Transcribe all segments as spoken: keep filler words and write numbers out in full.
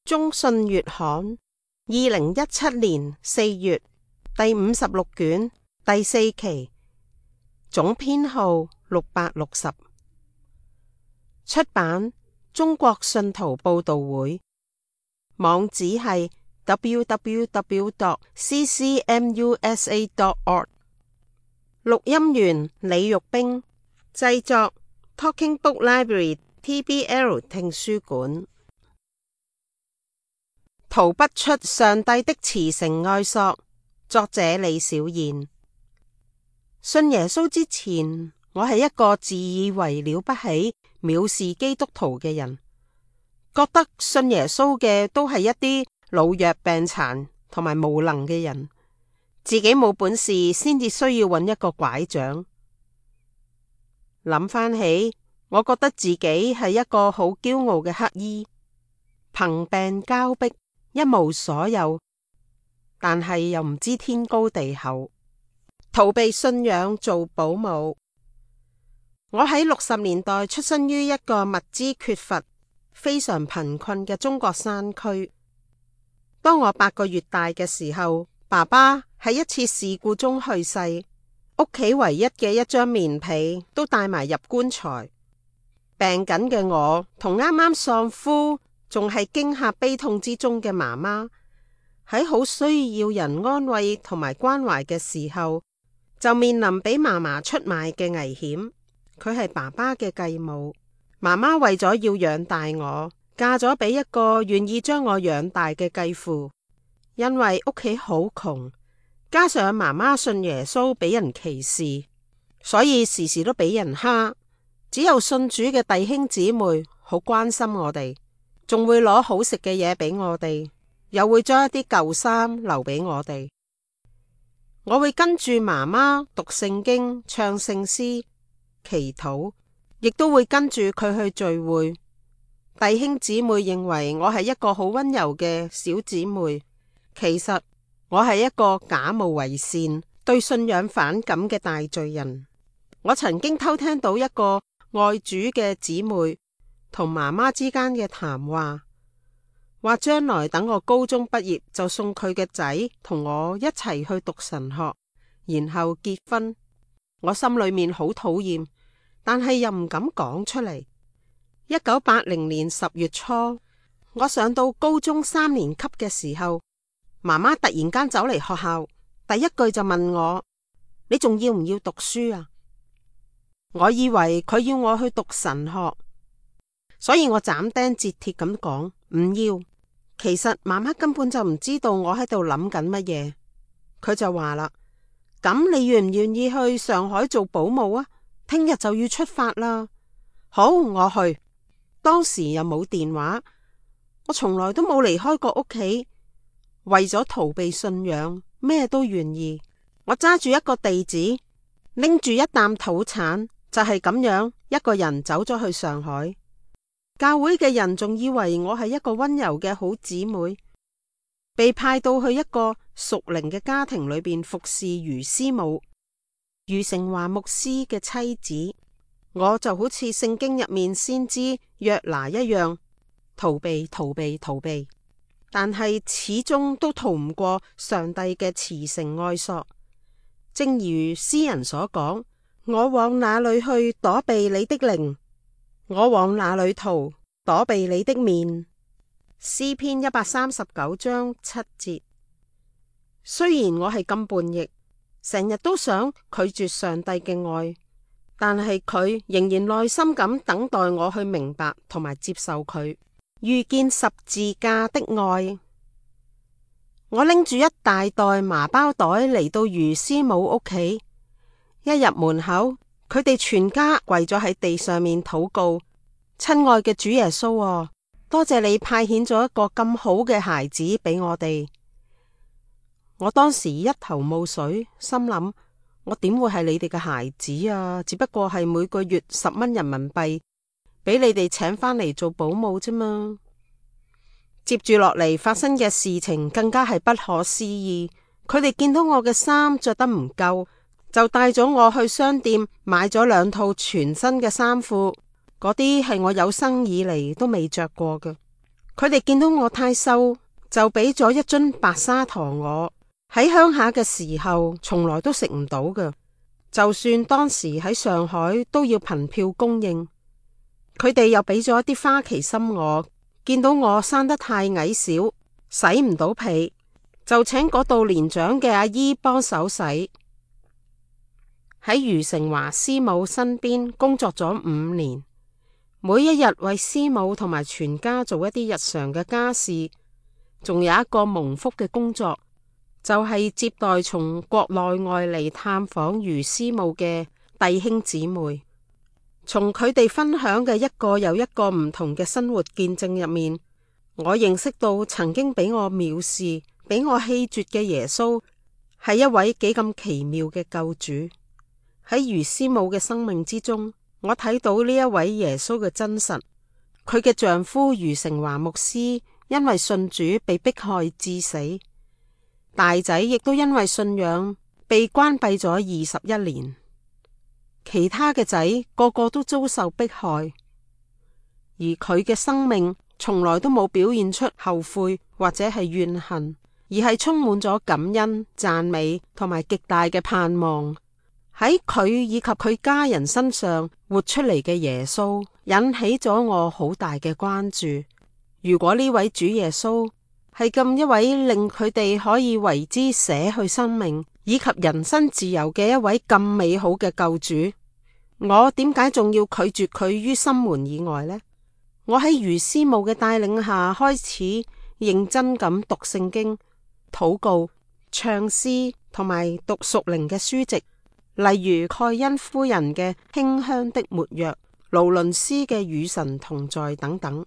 中信月刊二零一七年四月第五十六卷第四期，總編號六百六十，出版中國信徒報道會，網址係 w w w dot c c m u s a dot org。 錄音員李玉冰，製作 Talking Book Library T B L 聽書館。逃不出上帝的慈繩愛索，作者李小燕。信耶穌之前，我係一個自以為了不起、藐視基督徒嘅人，覺得信耶穌嘅都係一啲老弱病殘同埋無能嘅人，自己冇本事先至需要揾一個拐杖。諗翻起，我覺得自己係一個好驕傲嘅乞兒，貧病交迫，一無所有，但係又唔知天高地厚，逃避信仰做保姆。我喺六十年代出生於一個物資缺乏、非常貧困嘅中國山區。當我八個月大嘅時候，爸爸喺一次事故中去世，屋企唯一嘅一張棉被都帶埋入棺材。病緊嘅我同啱啱喪夫，仲係驚嚇悲痛之中嘅媽媽，喺好需要人安慰同埋關懷嘅時候，就面臨俾嫲嫲出賣嘅危險。佢係爸爸嘅繼母，媽媽為咗要養大我，嫁咗俾一個願意將我養大嘅繼父。因為屋企好窮，加上媽媽信耶穌俾人歧視，所以時時都俾人蝦。只有信主嘅弟兄姊妹好關心我哋，仲會攞好食嘅嘢俾我哋，又會將一啲舊衫留俾我哋。我會跟住媽媽讀聖經、唱聖詩、祈禱，亦都會跟住佢去聚會。弟兄姊妹認為我係一個好溫柔嘅小姊妹，其實我係一個假冒為善、對信仰反感嘅大罪人。我曾經偷聽到一個愛主嘅姊妹同媽媽之間嘅談話，話將來等我高中畢業就送佢嘅仔同我一齊去讀神學，然後結婚。我心裏面好討厭，但係又唔敢講出嚟。一九八零年十月初，我上到高中三年級嘅時候，媽媽突然間走嚟學校，第一句就問我：你仲要唔要讀書啊？我以為佢要我去讀神學，所以我斬釘截鐵咁講唔要。其實媽媽根本就唔知道我喺度諗緊乜嘢。佢就話啦：咁你願唔願意去上海做保姆啊？聽日就要出發啦。好，我去。當時又冇電話，我從來都冇離開過屋企，為咗逃避信仰，咩都願意。我揸住一個地址，拎住一擔土產，就係咁樣一個人走咗去上海。教會嘅人仲以為我係一個溫柔嘅好姊妹，被派到去一個屬靈嘅家庭裏邊服侍余師母，余成華牧師嘅妻子。我就好似聖經入面先知約拿一樣，逃避逃避逃避，但係始終都逃唔過上帝嘅慈繩愛索。正如詩人所講：我往哪裏去躲避你的靈？我往哪裏逃躲避你的面？詩篇一百三十九章七節。雖然我係咁叛逆，成日都想拒絕上帝嘅愛，但係佢仍然耐心咁等待我去明白同埋接受佢，遇見十字架的愛。我拎住一大袋麻包袋嚟到余師母屋企，一入門口，佢哋全家跪咗喺地上面禱告：親愛嘅主耶穌啊，多謝你派遣咗一個咁好嘅孩子俾我哋。我當時一頭霧水，心諗：我點會係你哋嘅孩子啊？只不過係每個月十蚊人民幣，俾你哋請返嚟做保姆啫嘛。接住落嚟發生嘅事情更加係不可思議。佢哋見到我嘅衫着得唔夠，就帶咗我去商店買咗兩套全新嘅衫褲，嗰啲係我有生以嚟都未着過嘅。佢哋見到我太瘦，就俾咗一樽白砂糖我。喺鄉下嘅時候，從來都食唔到嘅，就算當時喺上海都要憑票供應。佢哋又俾咗一啲花旗參我，見到我生得太矮小，洗唔到被，就請嗰度年長嘅阿姨幫手洗。喺余成華師母身邊工作咗五年，每一日為師母同埋全家做一啲日常嘅家事，仲有一個蒙福嘅工作，就係、是、接待從國內外嚟探訪余師母嘅弟兄姊妹。從佢哋分享嘅一個又一個唔同嘅生活見證入面，我認識到曾經俾我藐視、俾我棄絕嘅耶穌係一位幾咁奇妙嘅救主。喺余師母嘅生命之中，我睇到呢一位耶穌嘅真實。佢嘅丈夫余成華牧師因為信主被迫害致死，大仔亦都因為信仰被關閉咗二十一年，其他嘅仔個個都遭受迫害，而佢嘅生命從來都冇表現出後悔或者係怨恨，而係充滿咗感恩、讚美同埋極大嘅盼望。喺佢以及佢家人身上活出嚟嘅耶穌，引起咗我好大嘅關注。如果呢位主耶穌係咁一位令佢哋可以為之捨去生命以及人身自由嘅一位咁美好嘅救主，我點解仲要拒絕佢於心門以外呢？我喺余師母嘅帶領下開始認真咁讀聖經、禱告、唱詩同埋讀屬靈嘅書籍。例如蓋恩夫人嘅馨香的沒藥、勞倫斯嘅與神同在等等。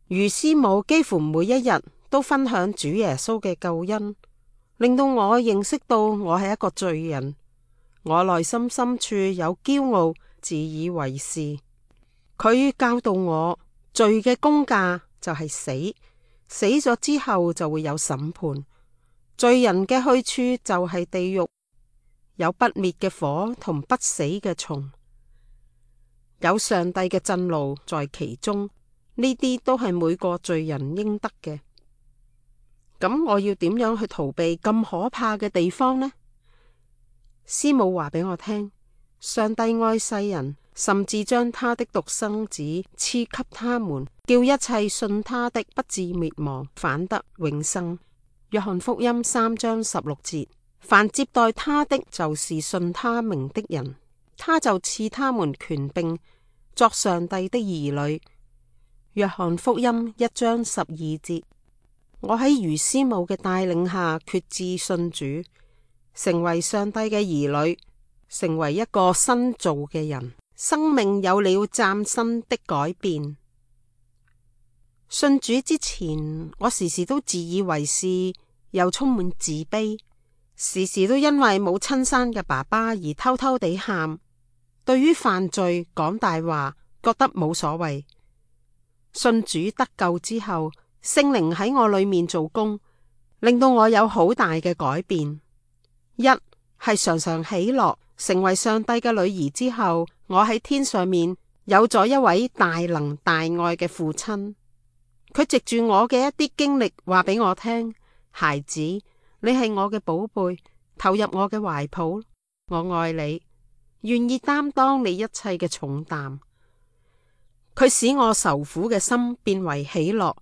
余師母幾乎每一日都分享主耶穌嘅救恩，令到我認識到我係一個罪人。我內心深處有驕傲、自以為是。佢教導我，罪嘅工價就係死，死咗之後就會有審判。罪人嘅去處就係地獄。有不滅嘅火同不死嘅蟲，有上帝嘅震怒在其中，呢啲都係每個罪人應得嘅。咁我要點樣去逃避咁可怕嘅地方呢？師母話俾我聽，上帝愛世人，甚至將他的獨生子賜給他們，叫一切信他的不至滅亡，反得永生。約翰福音三章十六節。凡接待他的，就是信他名的人，他就賜他們權柄作上帝的兒女。約翰福音一章十二節。我喺余師母嘅帶領下決志信主，成為上帝嘅兒女，成為一個新造嘅人，生命有了嶄新的改變。信主之前，我時時都自以為是，又充滿自卑。時時都因為冇親生嘅爸爸而偷偷地喊，對於犯罪講大話覺得冇所謂。信主得救之後，聖靈喺我裏面做工，令到我有好大嘅改變。一係常常喜樂，成為上帝嘅女兒之後，我喺天上面有咗一位大能大愛嘅父親，佢藉住我嘅一啲經歷話俾我聽，孩子，你係我嘅寶貝，投入我嘅懷抱，我愛你，願意擔當你一切嘅重擔。佢使我愁苦嘅心變為喜樂，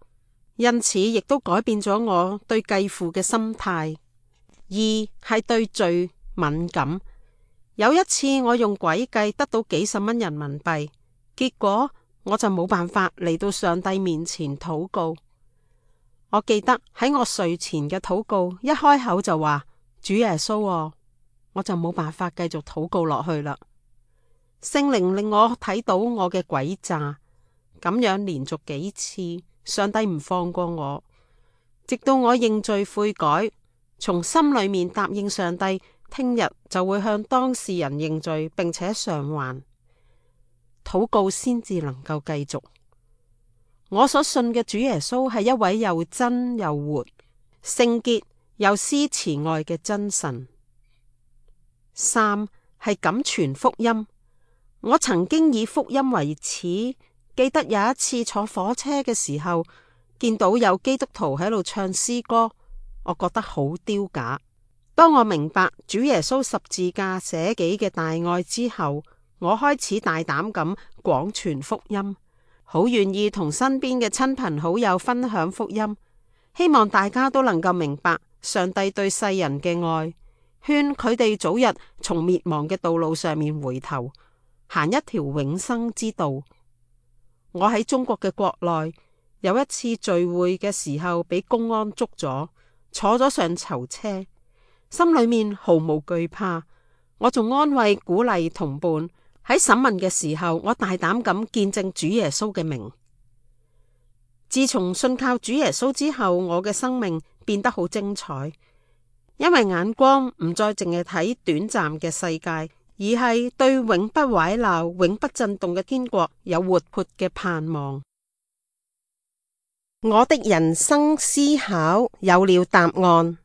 因此亦都改變咗我對繼父嘅心態。二係對罪敏感。有一次我用詭計得到幾十蚊人民幣，結果我就冇辦法嚟到上帝面前禱告。我記得喺我睡前嘅禱告，一開口就話主耶穌啊，我就冇辦法繼續禱告落去啦。聖靈令我睇到我嘅詭詐，咁樣連續幾次，上帝唔放過我，直到我認罪悔改，從心裏面答應上帝，聽日就會向當事人認罪，並且償還，禱告先至能夠繼續。我所信嘅主耶穌係一位又真又活、聖潔又施慈愛嘅真神。三係敢傳福音。我曾經以福音為恥，記得有一次坐火車嘅時候，見到有基督徒喺度唱詩歌，我覺得好丟架。當我明白主耶穌十字架捨己嘅大愛之後，我開始大膽咁廣傳福音，好願意同身邊嘅親朋好友分享福音，希望大家都能夠明白上帝對世人嘅愛，勸佢哋早日從滅亡嘅道路上面回頭，行一條永生之道。我喺中國嘅國內有一次聚會嘅時候，俾公安捉咗，坐咗上囚車，心裏面毫無懼怕。我仲安慰鼓勵同伴，喺審問嘅時候，我大膽咁見證主耶穌嘅名。自從信靠主耶穌之後，我嘅生命變得好精彩，因為眼光唔再淨係睇短暫嘅世界，而係對永不壞鬧、永不震動嘅天國有活潑嘅盼望。我的人生思考有了答案。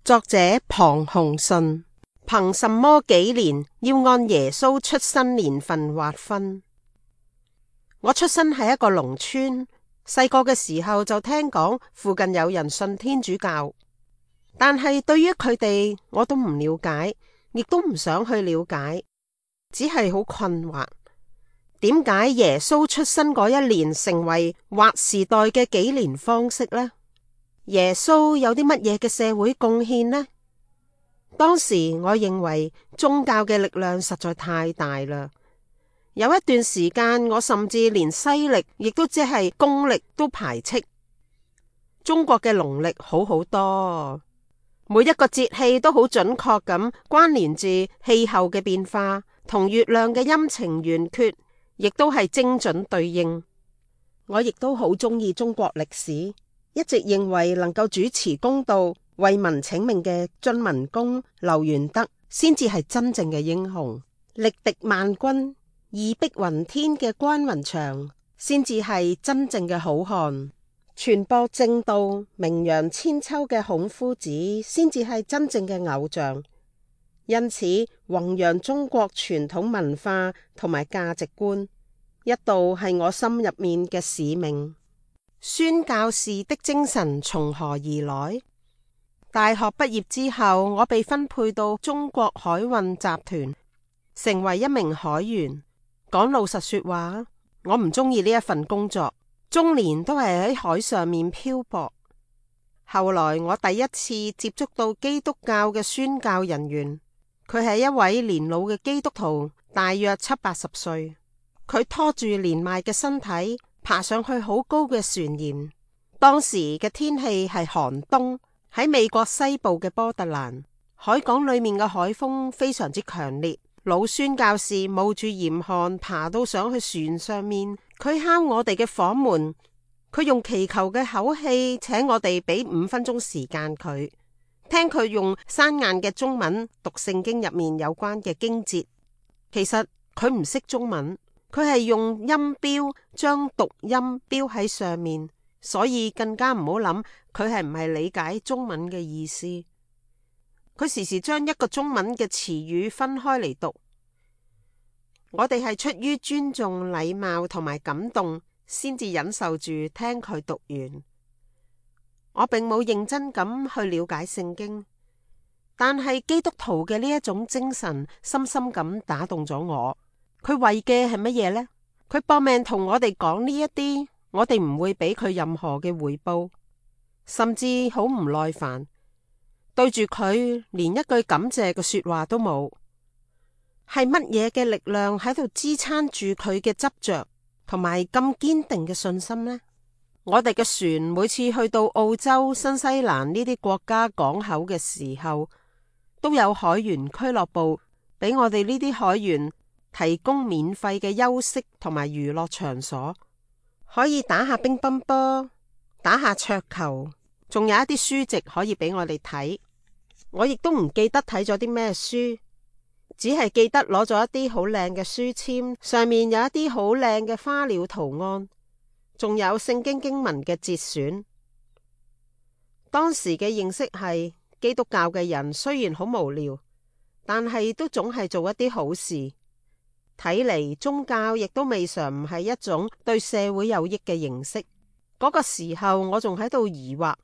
作者龐鴻順。憑什麼紀年要按耶穌出生年份劃分？我出生喺一個農村，細個嘅時候就聽講附近有人信天主教，但係對於佢哋我都唔了解，亦都唔想去了解，只係好困惑。點解耶穌出生嗰一年成為劃時代嘅紀年方式呢？耶穌有啲乜嘢嘅社會貢獻呢？當時我認為宗教嘅力量實在太大啦，有一段時間我甚至連西曆亦都即係公曆都排斥。中國嘅農曆好好多，每一個節氣都好準確咁關聯住氣候嘅變化，同月亮嘅陰晴圓缺亦都係精準對應。我亦都好中意中國歷史，一直認為能夠主持公道、為民請命嘅晉文公劉元德先至係真正嘅英雄，力敵萬軍、義逼雲天嘅關雲長先至係真正嘅好漢，傳播正道、名揚千秋嘅孔夫子先至係真正嘅偶像。因此，弘揚中國傳統文化同埋價值觀，一度係我心入面嘅使命。宣教士的精神從何而來？大學畢業之後，我被分配到中國海運集團，成為一名海員。講老實說話，我唔中意呢一份工作，終年都係喺海上面漂泊。後來我第一次接觸到基督教嘅宣教人員，佢係一位年老嘅基督徒，大約七八十歲。佢拖住年邁嘅身體，爬上去好高嘅船舷。當時嘅天氣係寒冬。喺美國西部嘅波特蘭，海港裏面嘅海風非常之強烈。老宣教士冒住嚴寒爬到上去船上面，佢敲我哋嘅房門，佢用祈求嘅口氣請我哋俾五分鐘時間佢，聽佢用生硬嘅中文讀聖經入面有關嘅經節。其實佢唔識中文，佢係用音標將讀音標喺上面。所以更加唔好諗佢係唔係理解中文嘅意思。佢時時將一個中文嘅詞語分開嚟讀。我哋係出於尊重、禮貌同埋感動，先至忍受住聽佢讀完。我並冇認真咁去了解聖經，但係基督徒嘅呢一種精神深深咁打動咗我。佢為嘅係乜嘢呢？佢搏命同我哋講呢一啲。我哋唔會俾佢任何嘅回報，甚至好唔耐煩，對住佢連一句感謝嘅說話都冇。係乜嘢嘅力量喺度支撐住佢嘅執着同埋咁堅定嘅信心呢？我哋嘅船每次去到澳洲、新西蘭呢啲國家港口嘅時候，都有海員俱樂部俾我哋呢啲海員提供免費嘅休息同埋娛樂場所。可以打下乒乓波，打下桌球，仲有一啲書籍可以俾我哋睇。我亦都唔記得睇咗啲咩書，只係記得攞咗一啲好靚嘅書籤，上面有一啲好靚嘅花鳥圖案，仲有聖經經文嘅節選。當時嘅認識係基督教嘅人雖然好無聊，但係都總係做一啲好事。睇嚟宗教亦都未嘗唔係一種對社會有益嘅形式。嗰個時候我仲喺度疑惑，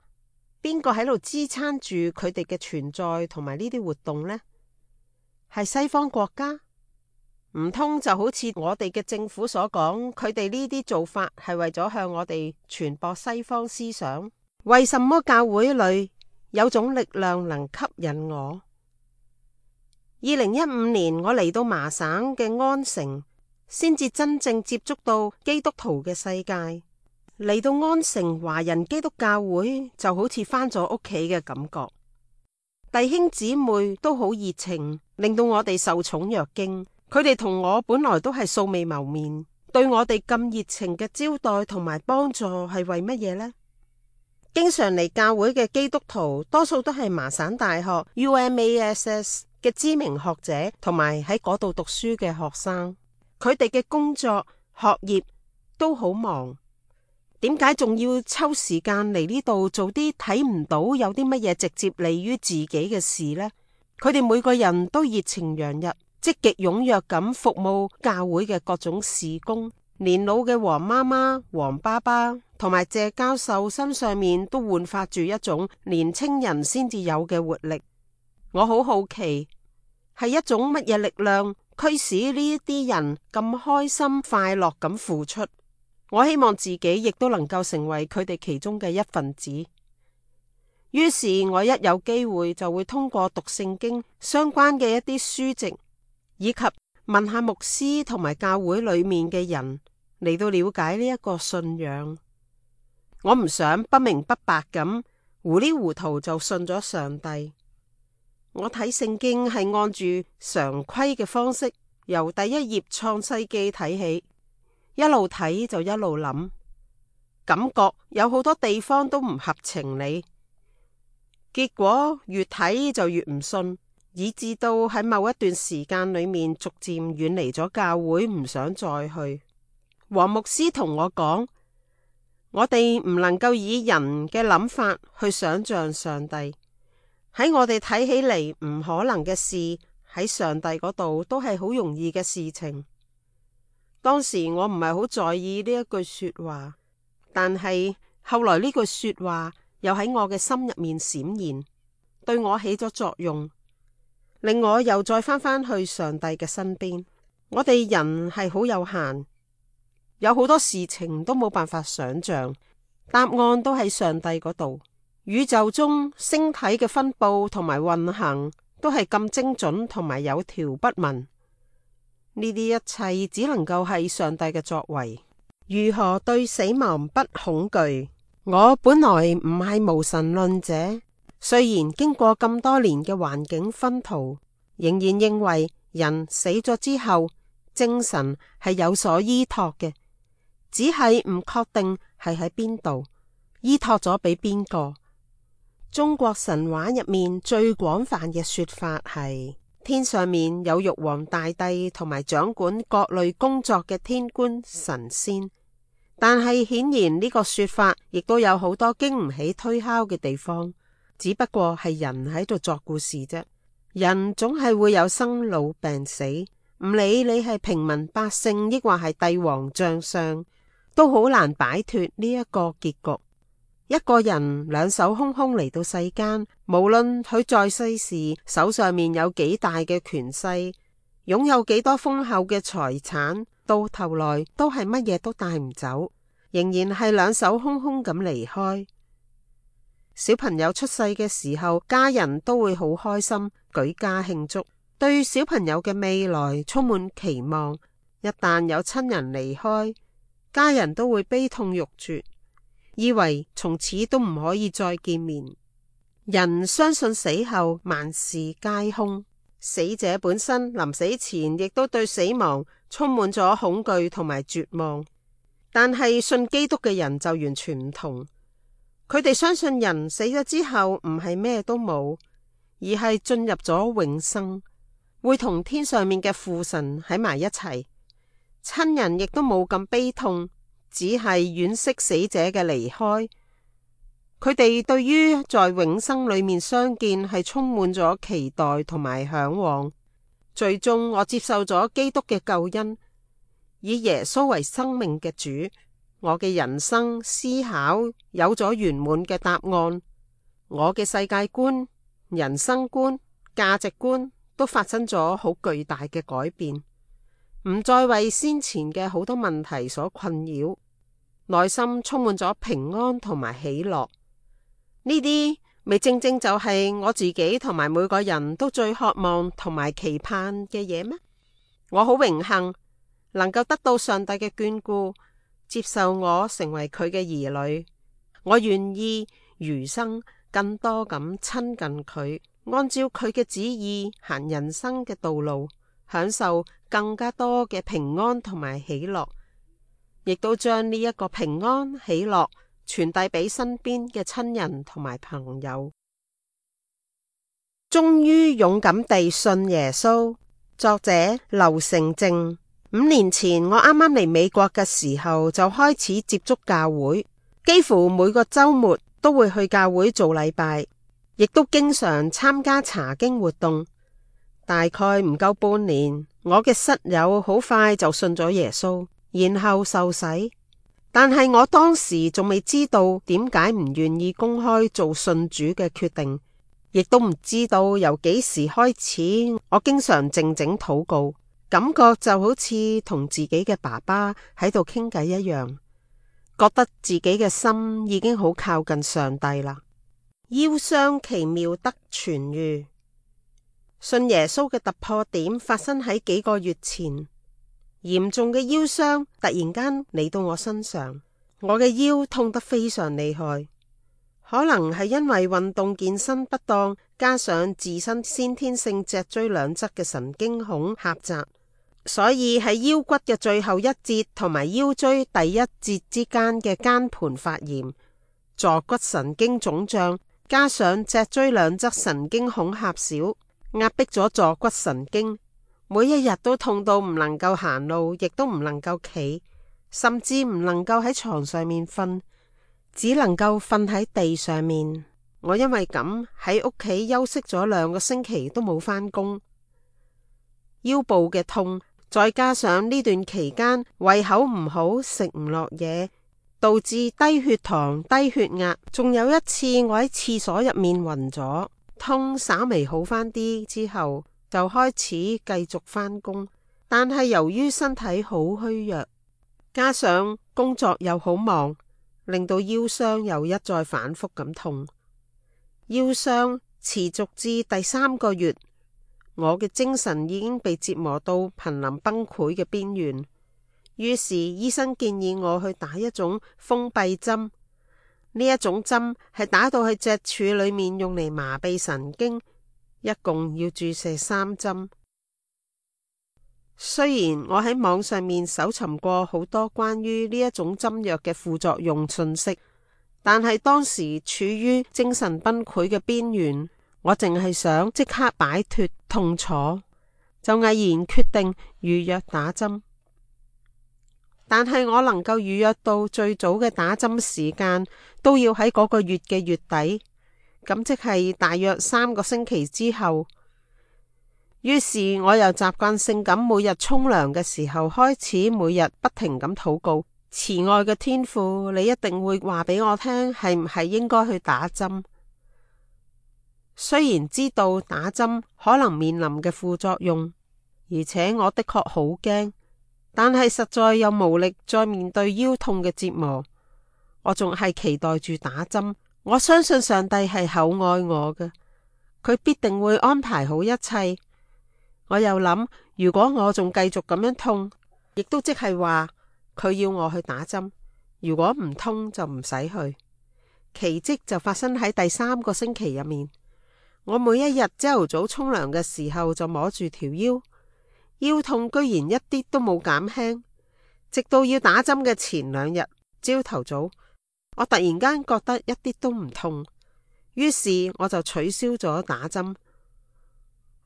邊個喺度支撐住佢哋嘅存在同埋呢啲活動呢？係西方國家？唔通就好似我哋嘅政府所講，佢哋呢啲做法係為咗向我哋傳播西方思想？為什麼教會裏有種力量能吸引我？二零一五年我嚟到麻省嘅安城，先至真正接觸到基督徒嘅世界。嚟到安城華人基督教會就好似返咗屋企嘅感覺，弟兄姊妹都好熱情，令到我哋受寵若驚。佢哋同我本來都係素未謀面，對我哋咁熱情嘅招待同埋幫助係為乜嘢呢？經常嚟教會嘅基督徒多數都係麻省大學 U M A S S 嘅知名學者，同埋喺嗰度讀書嘅學生。佢哋嘅工作學業都好忙，點解仲要抽時間嚟呢度做啲睇唔到有啲乜嘢直接利於自己嘅事呢？佢哋每個人都熱情洋溢，積極踴躍咁服務教會嘅各種事工。年老嘅黃媽媽、黃爸爸同埋謝教授身上面都煥發住一種年青人先至有嘅活力。我好好奇，係一種乜嘢力量驅使呢一啲人咁開心快樂咁付出？我希望自己亦都能夠成為佢哋其中嘅一份子。於是我一有機會就會通過讀聖經相關嘅一啲書籍，以及問下牧師同埋教會裏面嘅人嚟到了解呢一個信仰。我唔想不明不白咁糊裡糊塗就信咗上帝。我睇聖經係按住常規嘅方式，由第一頁創世記睇起，一路睇就一路諗，感覺有好多地方都唔合情理，結果越睇就越唔信，以至到喺某一段時間裏面逐漸遠離咗教會，唔想再去。黃牧師同我講，我哋唔能夠以人嘅諗法去想象上帝，喺我哋睇起嚟唔可能嘅事，喺上帝嗰度都係好容易嘅事情。當時我唔係好在意呢一句說話，但係後來呢句說話又喺我嘅心入面閃現，對我起咗作用，令我又再返返去上帝嘅身邊。我哋人係好有限，有好多事情都冇辦法想象，答案都喺上帝嗰度。宇宙中星體嘅分布同埋運行都係咁精準同埋有條不紊，呢啲一切只能夠係上帝嘅作為。如何對死亡不恐懼？我本來唔係無神論者，雖然經過咁多年嘅環境熏陶，仍然認為人死咗之後精神係有所依託嘅，只係唔確定係喺邊度，依託咗俾邊個。中國神話入面最廣泛嘅說法係，天上面有玉皇大帝同埋掌管各類工作嘅天官神仙，但係顯然呢個說法亦都有好多經唔起推敲嘅地方，只不過係人喺度作故事啫。人總係會有生老病死，唔理你係平民百姓抑或係帝王將相，都好難擺脫呢一個結局。一個人兩手空空嚟到世間，無論佢在世時手上面有幾大嘅權勢，擁有幾多豐厚嘅財產，到頭來都係乜嘢都帶唔走，仍然係兩手空空咁離開。小朋友出世嘅時候，家人都會好開心，舉家慶祝，對小朋友嘅未來充滿期望。一旦有親人離開，家人都會悲痛欲絕，以為從此都唔可以再見面。人相信死後萬事皆空，死者本身臨死前亦都對死亡充滿咗恐懼同埋絕望。但係信基督嘅人就完全唔同，佢哋相信人死咗之後唔係咩都冇，而係進入咗永生，會同天上面嘅父神喺埋一齊。親人亦都冇咁悲痛，只係惋惜死者嘅離開。佢哋對於在永生裏面相見係充滿咗期待同埋向往。最終我接受咗基督嘅救恩，以耶穌為生命嘅主，我嘅人生思考有咗圓滿嘅答案，我嘅世界觀、人生觀、價值觀都發生咗好巨大嘅改變，唔再為先前嘅好多問題所困擾，內心充滿咗平安同埋喜樂。呢啲咪正正就係我自己同埋每個人都最渴望同埋期盼嘅嘢咩？我好榮幸能夠得到上帝嘅眷顧，接受我成為佢嘅兒女。我願意餘生更多咁親近佢，按照佢嘅旨意行人生嘅道路，享受更加多嘅平安同埋喜樂，亦都將呢一個平安喜樂傳遞俾身邊嘅親人同埋朋友。終於勇敢地信耶穌。作者劉成正。五年前我啱啱嚟美國嘅時候，就開始接觸教會，幾乎每個周末都會去教會做禮拜，亦都經常參加查經活動。大概唔夠半年，我嘅室友好快就信咗耶穌，然後受洗。但係我當時仲未知道點解唔願意公開做信主嘅決定，亦都唔知道由幾時開始，我經常靜靜禱告，感覺就好似同自己嘅爸爸喺度傾偈一樣，覺得自己嘅心已經好靠近上帝啦。腰傷奇妙得痊癒。信耶穌嘅突破點發生喺幾個月前。嚴重嘅腰傷突然間嚟到我身上，我嘅腰痛得非常厲害，可能係因為運動健身不當，加上自身先天性脊椎兩側嘅神經孔狹窄，所以喺腰骨嘅最後一節同埋腰椎第一節之間嘅間盤發炎，坐骨神經腫脹，加上脊椎兩側神經孔狹小，壓迫咗坐骨神經。每一日都痛到唔能夠行路，亦都唔能夠企，甚至唔能夠喺床上面瞓，只能夠瞓喺地上面。我因為咁喺屋企休息咗兩個星期都冇返工。腰部嘅痛，再加上呢段期間胃口唔好，食唔落嘢，導致低血糖、低血壓。仲有一次我喺廁所入面暈咗，痛稍微好返啲之後，就開始繼續返工，但係由於身體好虛弱，加上工作又好忙，令到腰傷又一再反覆咁痛。腰傷持續至第三個月，我嘅精神已經被折磨到瀕臨崩潰嘅邊緣。於是醫生建議我去打一種封閉針，呢一種針係打到去脊柱裏面，用嚟麻痹神經。一共要注射三針。雖然我喺網上面搜尋過好多關於呢一種針藥嘅副作用信息，但係當時處於精神崩潰嘅邊緣，我淨係想即刻擺脫痛楚，就毅然決定預約打針。但係我能夠預約到最早嘅打針時間，都要喺嗰個月嘅月底。咁即係大約三個星期之後，於是我又習慣性咁每日沖涼嘅時候開始，每日不停咁禱告，慈愛嘅天父，你一定會話俾我聽係唔係應該去打針。雖然知道打針可能面臨嘅副作用，而且我的確好驚，但係實在又無力再面對腰痛嘅折磨，我仲係期待住打針。我相信上帝係厚愛我嘅，佢必定會安排好一切。我又諗，如果我仲繼續咁樣痛，亦都即係話佢要我去打針。如果唔通就唔使去。奇蹟就發生喺第三個星期入面。我每一日朝頭早沖涼嘅時候就摸住條腰，腰痛居然一啲都冇減輕，直到要打針嘅前兩日朝頭早，我突然間覺得一啲都唔痛，於是我就取消咗打針。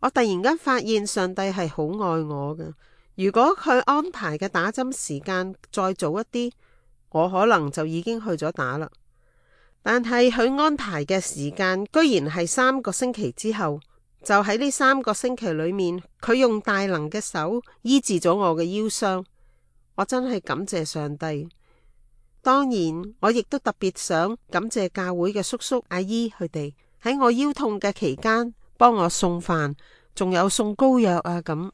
我突然間發現上帝係好愛我嘅，如果佢安排嘅打針時間再早一啲，我可能就已經去咗打啦。但係佢安排嘅時間居然係三個星期之後，就喺呢三個星期裏面，佢用大能嘅手醫治咗我嘅腰傷，我真係感謝上帝。當然，我亦都特別想感謝教會嘅叔叔阿姨，佢哋喺我腰痛嘅期間幫我送飯，仲有送膏藥啊咁。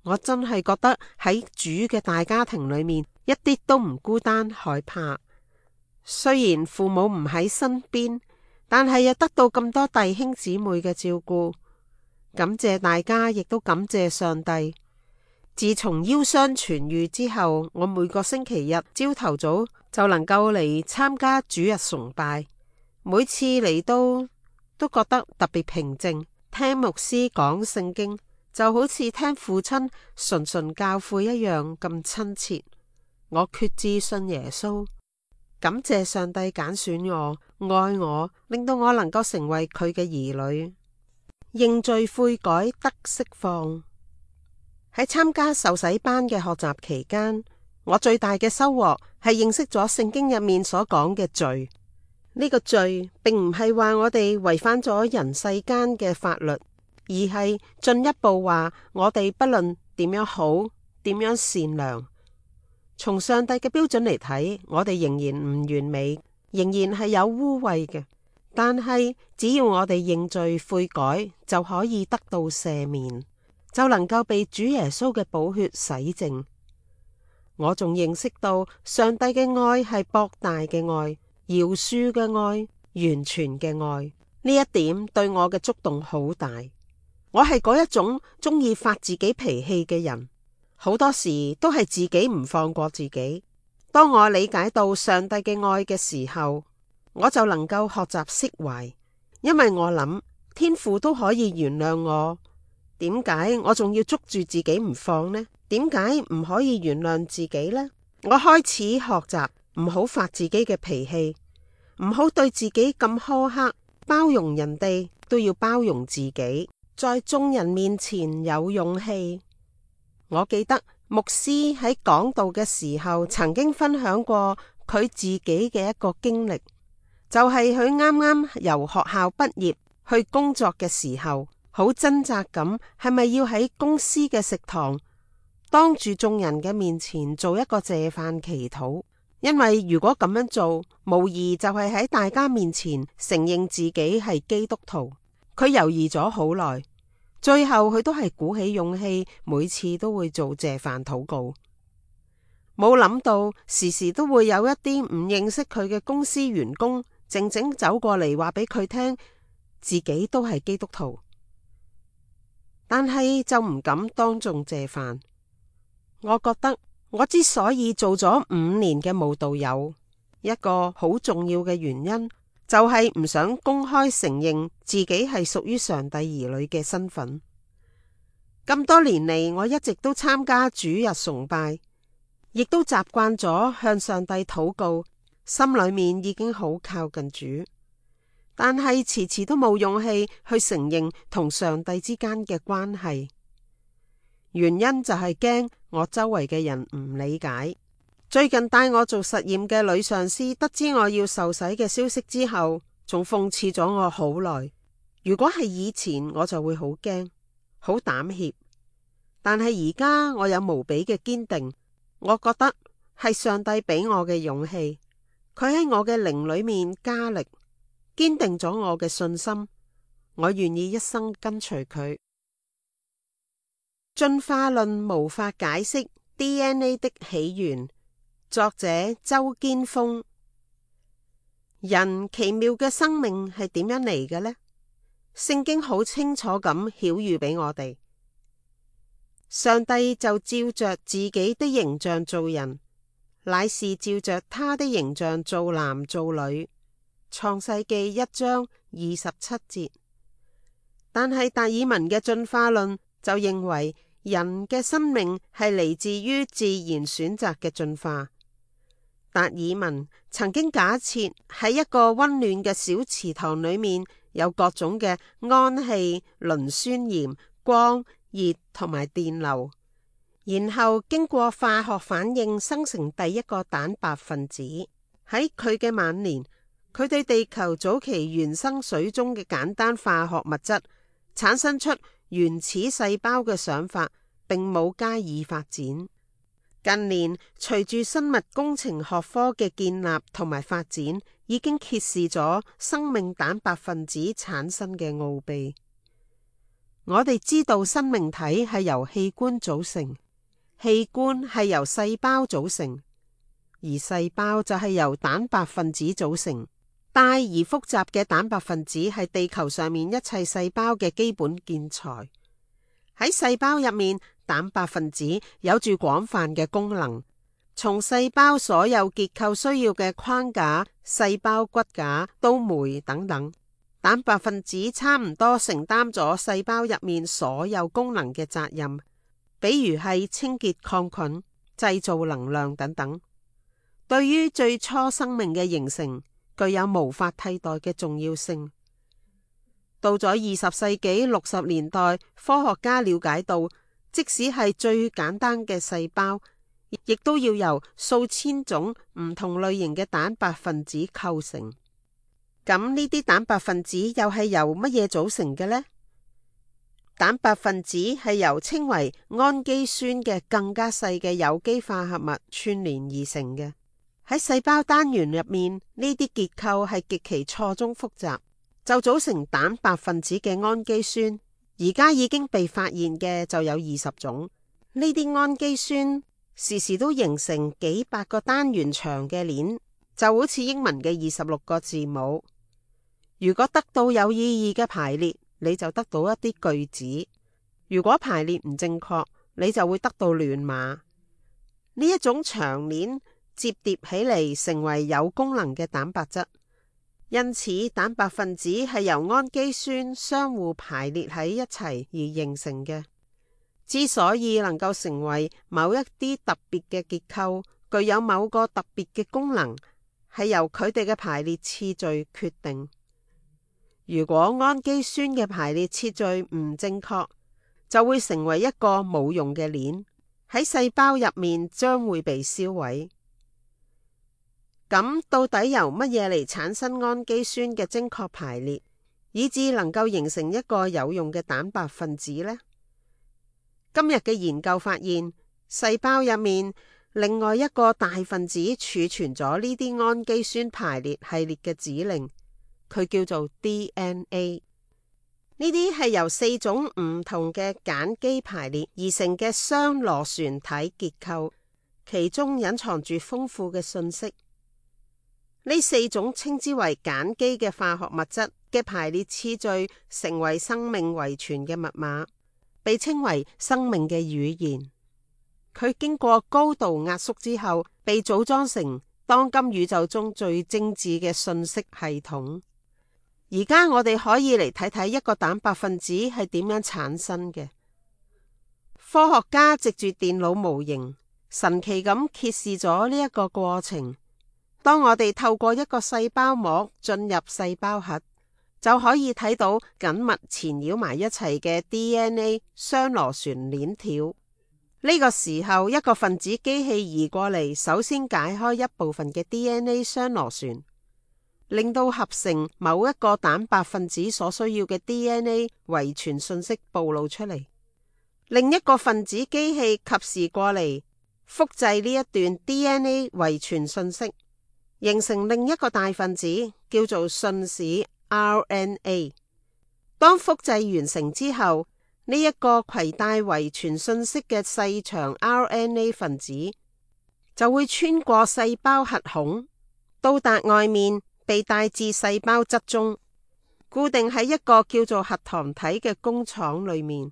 我真係覺得喺主嘅大家庭裏面一啲都唔孤單害怕。雖然父母唔喺身邊，但係又得到咁多弟兄姊妹嘅照顧，感謝大家，亦都感謝上帝。自從腰傷痊愈之後，我每個星期日朝頭早就能夠嚟參加主日崇拜，每次嚟到都覺得特別平靜。聽牧師講聖經就好似聽父親純純教誨一樣咁親切。我決志信耶穌，感謝上帝揀選我、愛我，令到我能夠成為佢嘅兒女。認罪悔改得釋放。喺參加受洗班嘅學習期間，我最大嘅收穫係認識咗聖經入面所講嘅罪。呢個罪並唔係話我哋違反咗人世間嘅法律，而係進一步話我哋不論點樣好、點樣善良，從上帝嘅標準嚟睇，我哋仍然唔完美，仍然係有污穢嘅。但係只要我哋認罪悔改，就可以得到赦免，就能夠被主耶穌嘅寶血洗淨。我仲認識到上帝嘅愛係博大嘅愛、饒恕嘅愛、完全嘅愛。呢一點對我嘅觸動好大。我係嗰一種中意發自己脾氣嘅人，好多時都係自己唔放過自己。當我理解到上帝嘅愛嘅時候，我就能夠學習釋懷，因為我諗天父都可以原諒我，點解我仲要捉住自己唔放呢？點解唔可以原諒自己呢？我開始學習唔好發自己嘅脾氣，唔好對自己咁苛刻，包容人哋都要包容自己，在眾人面前有勇氣。我記得牧師喺講道嘅時候曾經分享過佢自己嘅一個經歷，就係佢啱啱由學校畢業去工作嘅時候，好掙扎咁，係咪要喺公司嘅食堂當住眾人嘅面前做一個謝飯祈禱？因為如果咁樣做，無疑就係喺大家面前承認自己係基督徒。佢猶豫咗好耐，最後佢都係鼓起勇氣，每次都會做謝飯禱告。冇諗到時時都會有一啲唔認識佢嘅公司員工靜靜走過嚟，話俾佢聽自己都係基督徒，但係就唔敢當眾謝飯。我覺得我之所以做咗五年嘅慕道友，一個好重要嘅原因就係唔想公開承認自己係屬於上帝兒女嘅身份。咁多年嚟，我一直都參加主日崇拜，亦都習慣咗向上帝禱告，心裏面已經好靠近主，但係遲遲都冇勇氣去承認同上帝之間嘅關係。原因就係驚我周圍嘅人唔理解。最近帶我做實驗嘅女上司得知我要受洗嘅消息之後，仲諷刺咗我好耐。如果係以前，我就會好驚，好膽怯。但係而家我有無比嘅堅定，我覺得係上帝俾我嘅勇氣，佢喺我嘅靈裏面加力，堅定咗我嘅信心。我願意一生跟隨佢。進化論無法解釋 D N A 的起源，作者周堅峰。人奇妙嘅生命係點樣嚟嘅呢？聖經好清楚咁曉喻俾我哋，上帝就照着自己的形象造人，乃是照着他的形象造男造女。創世記一章二十七節。但係達爾文嘅進化論就認為人嘅生命係嚟自於自然選擇嘅進化。達爾文曾經假設喺一個溫暖嘅小池塘裏面有各種嘅氨氣、磷酸鹽、光、熱同埋電流，然後經過化學反應生成第一個蛋白分子。喺佢嘅晚年，佢對地球早期原生水中嘅簡單化學物質產生出原始細胞嘅想法，並冇加以發展。近年隨住生物工程學科嘅建立同埋發展，已經揭示咗生命蛋白分子產生嘅奧秘。我哋知道生命體係由器官組成，器官係由細胞組成，而細胞就係由蛋白分子組成。大而複雜嘅蛋白分子係地球上面一切細胞嘅基本建材。喺細胞入面，蛋白分子有住廣泛嘅功能，從細胞所有結構需要嘅框架、細胞骨架到酶等等，蛋白分子差唔多承擔咗細胞入面所有功能嘅責任，比如係清潔抗菌、製造能量等等。對於最初生命嘅形成，具有無法替代嘅重要性。到咗二十世紀六十年代，科學家了解到，即使係最簡單嘅細胞，亦都要由數千種唔同類型嘅蛋白分子構成。咁呢啲蛋白分子又係由乜嘢組成嘅呢？蛋白分子係由稱為氨基酸嘅更加細嘅有機化合物串聯而成嘅。喺細胞單元入面，呢啲結構係極其錯綜複雜，就組成蛋白分子嘅氨基酸，而家已經被發現嘅就有二十種。呢啲氨基酸時時都形成幾百個單元長嘅鏈，就好似英文嘅二十六個字母。如果得到有意義嘅排列，你就得到一啲句子；如果排列唔正確，你就會得到亂碼。呢一種長鏈摺疊起嚟，成為有功能嘅蛋白質。因此，蛋白分子係由氨基酸相互排列喺一齊而形成嘅。之所以能夠成為某一啲特別嘅結構，具有某個特別嘅功能，係由佢哋嘅排列次序決定。如果氨基酸嘅排列次序唔正確，就會成為一個冇用嘅鏈，喺細胞入面將會被燒毀。咁到底由乜嘢嚟產生氨基酸嘅精確排列，以致能夠形成一個有用嘅蛋白分子呢？今日嘅研究發現，細胞入面另外一個大分子儲存咗呢啲氨基酸排列系列嘅指令，佢叫做 D N A。呢啲係由四種唔同嘅鹼基排列而成嘅雙螺旋體結構，其中隱藏住豐富嘅信息。呢四種稱之為鹼基嘅化學物質嘅排列次序，成為生命遺傳嘅密碼，被稱為生命嘅語言。佢經過高度壓縮之後，被組裝成當今宇宙中最精緻嘅信息系統。而家我哋可以嚟睇睇一個蛋白分子係點樣產生嘅。科學家藉住電腦模型，神奇咁揭示咗呢一個過程。當我哋透過一個細胞膜進入細胞核，就可以睇到緊密纏繞埋一齊嘅 D N A 雙螺旋鏈條。呢個時候，一個分子機器移過嚟，首先解開一部分嘅 D N A 雙螺旋，令到合成某一個蛋白分子所需要嘅 D N A 遺傳信息暴露出嚟。另一個分子機器及時過嚟，複製呢一段 D N A 遺傳信息，形成另一個大分子，叫做信使 R N A。當複製完成之後，呢、這、一個攜帶遺傳信息嘅細長 R N A 分子就會穿過細胞核孔，到達外面，被帶至細胞質中，固定喺一個叫做核糖體嘅工廠裏面。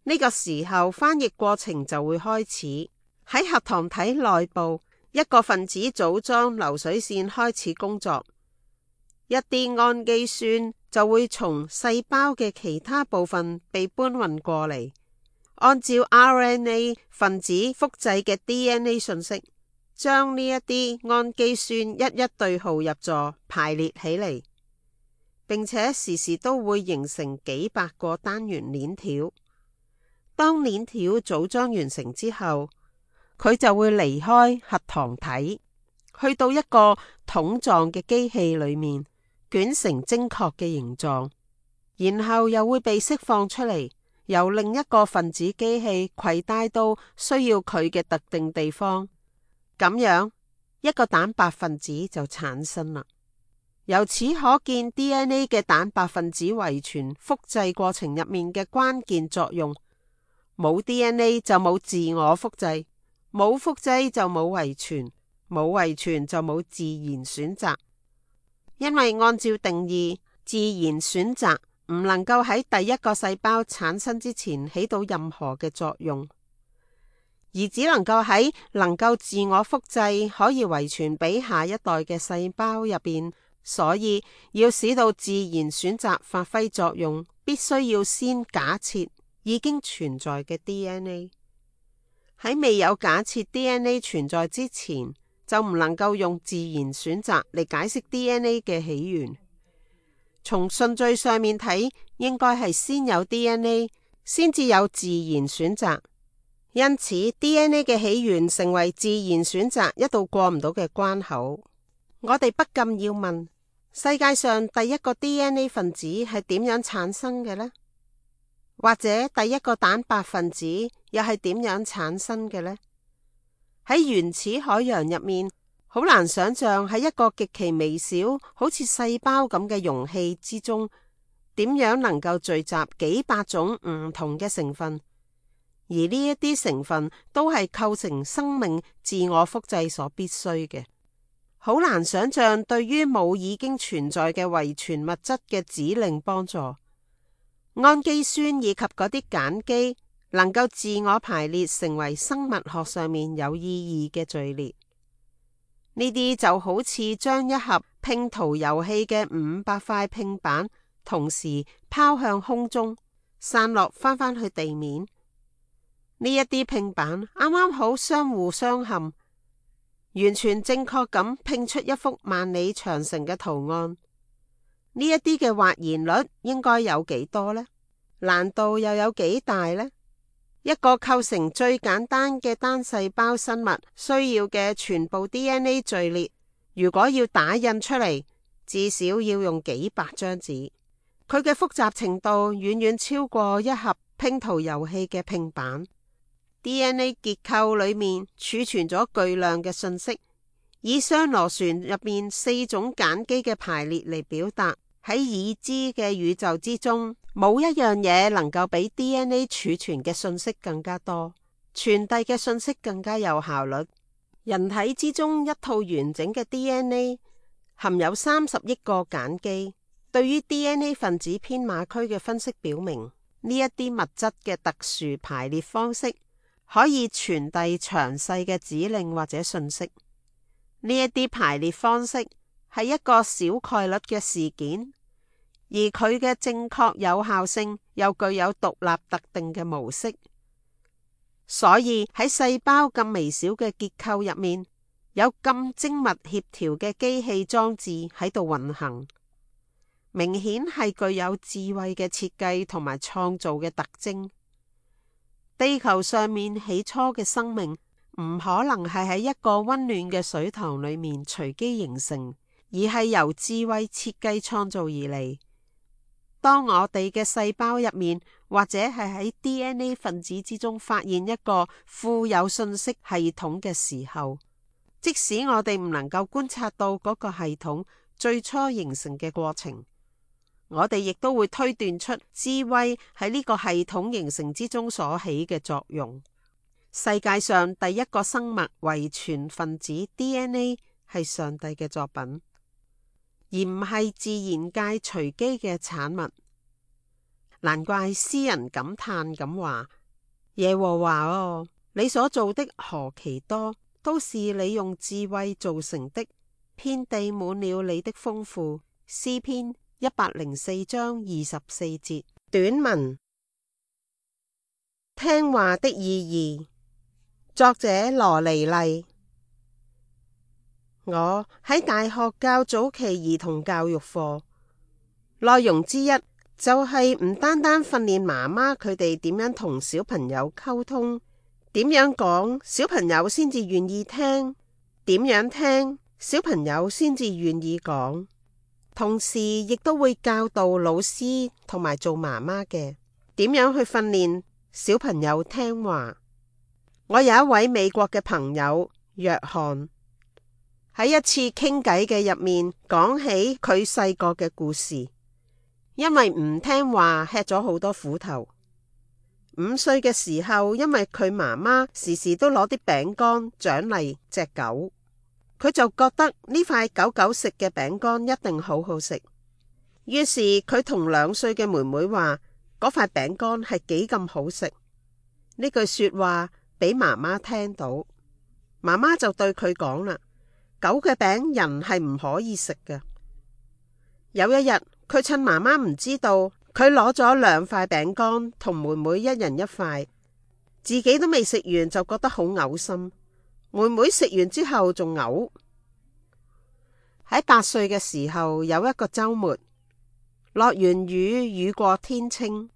呢、這個時候，翻譯過程就會開始。喺核糖體內部，一個分子組裝流水線開始工作，一啲氨基酸就會從細胞嘅其他部分被搬運過嚟，按照 R N A 分子複製嘅 D N A 信息，將呢一啲氨基酸一一對號入座排列起嚟，並且時時都會形成幾百個單元鏈條。當鏈條組裝完成之後，佢就會離開核糖體，去到一個桶狀嘅機器裏面，捲成精確嘅形狀。然後又會被釋放出嚟，由另一個分子機器攜帶到需要佢嘅特定地方，咁樣一個蛋白分子就產生啦。由此可見 D N A 嘅蛋白分子遺傳複製過程入面嘅關鍵作用。冇 D N A 就冇自我複製，冇複製就冇遺傳，冇遺傳就冇自然選擇。因為按照定義，自然選擇唔能夠喺第一個細胞產生之前起到任何嘅作用，而只能夠喺能夠自我複製可以遺傳俾下一代嘅細胞入邊。所以要使到自然選擇發揮作用，必須要先假設已經存在嘅 D N A。 喺未有假設 D N A 存在之前，就唔能夠用自然選擇嚟解釋 D N A 嘅起源。從順序上面睇，應該係先有 D N A， 先至有自然選擇。因此 D N A 嘅起源成為自然選擇一道過唔到嘅關口。我哋不禁要問，世界上第一個 D N A 分子係點樣產生嘅呢？或者第一個蛋白分子又係點樣產生嘅呢？喺原始海洋入面，好難想象喺一個極其微小，好似細胞咁嘅容器之中，點樣能夠聚集幾百種唔同嘅成分，而呢一啲成分都係構成生命自我複製所必須嘅。好難想象對於冇已經存在嘅遺傳物質嘅指令幫助。氨基酸以及嗰啲鹼基能夠自我排列成為生物學上面有意義嘅序列。呢啲就好似將一盒拼圖遊戲嘅五百塊拼板同時拋向空中，散落翻返去地面。呢一啲拼板啱啱好相互相嵌，完全正確咁拼出一幅萬里長城嘅圖案。呢一啲嘅或然率應該有幾多呢？難度又有幾大呢？一個構成最簡單嘅單細胞生物需要嘅全部 D N A 序列，如果要打印出嚟，至少要用幾百張紙。佢嘅複雜程度遠遠超過一盒拼圖遊戲嘅拼板。D N A 結構裏面儲存咗巨量嘅信息，以雙螺旋入面四種鹼基嘅排列嚟表達。喺已知嘅宇宙之中，冇一樣嘢能夠比 D N A 儲存嘅信息更加多，傳遞嘅信息更加有效率。人體之中一套完整嘅 D N A 含有三十億個鹼基。對於 D N A 分子編碼區嘅分析表明，呢一啲物質嘅特殊排列方式可以傳遞詳細嘅指令或者信息。呢一啲排列方式係一個小概率嘅事件，而佢嘅正確有效性又具有獨立特定嘅模式。所以喺細胞咁微小嘅結構入面，有咁精密協調嘅機器裝置喺度運行，明顯係具有智慧嘅設計同埋創造嘅特徵。地球上面起初嘅生命唔可能係喺一個溫暖嘅水塘裏面隨機形成，而係由智慧設計創造而嚟。當我哋嘅細胞入面，或者係喺 D N A 分子之中發現一個富有信息系統嘅時候，即使我哋唔能夠觀察到嗰個系統最初形成嘅過程，我哋亦都會推斷出智慧喺呢個系統形成之中所起嘅作用。世界上第一個生物遺傳分子 D N A 係上帝嘅作品，而唔係自然界隨機嘅產物。難怪詩人感嘆咁話：耶和華哦，你所做的何其多，都是你用智慧造成的，遍地滿了你的豐富。詩篇一百零四章二十四節。短文：聽話的意義。作者羅尼麗。我喺大學教早期兒童教育課，內容之一就係唔單單訓練媽媽佢哋點樣同小朋友溝通，點樣講小朋友先至願意聽，點樣聽小朋友先至願意講。同時亦都會教導老師同埋做媽媽嘅點樣去訓練小朋友聽話。我有一位美國嘅朋友約翰，喺一次傾偈嘅入面講起佢細個嘅故事，因為唔聽話吃咗好多苦頭。五歲嘅時候，因為佢媽媽時時都攞啲餅乾獎勵隻狗，佢就覺得呢塊狗狗食嘅餅乾一定好好食。於是佢同兩歲嘅妹妹話嗰塊餅乾係幾咁好食。呢句說話俾媽媽聽到，媽媽就對佢講啦：狗嘅餅人係唔可以食嘅。有一日，佢趁媽媽唔知道，佢攞咗兩塊餅乾同妹妹一人一塊，自己都未食完就覺得好嘔心。妹妹食完之後仲嘔。喺八歲嘅時候，有一個周末，落完雨，雨過天青，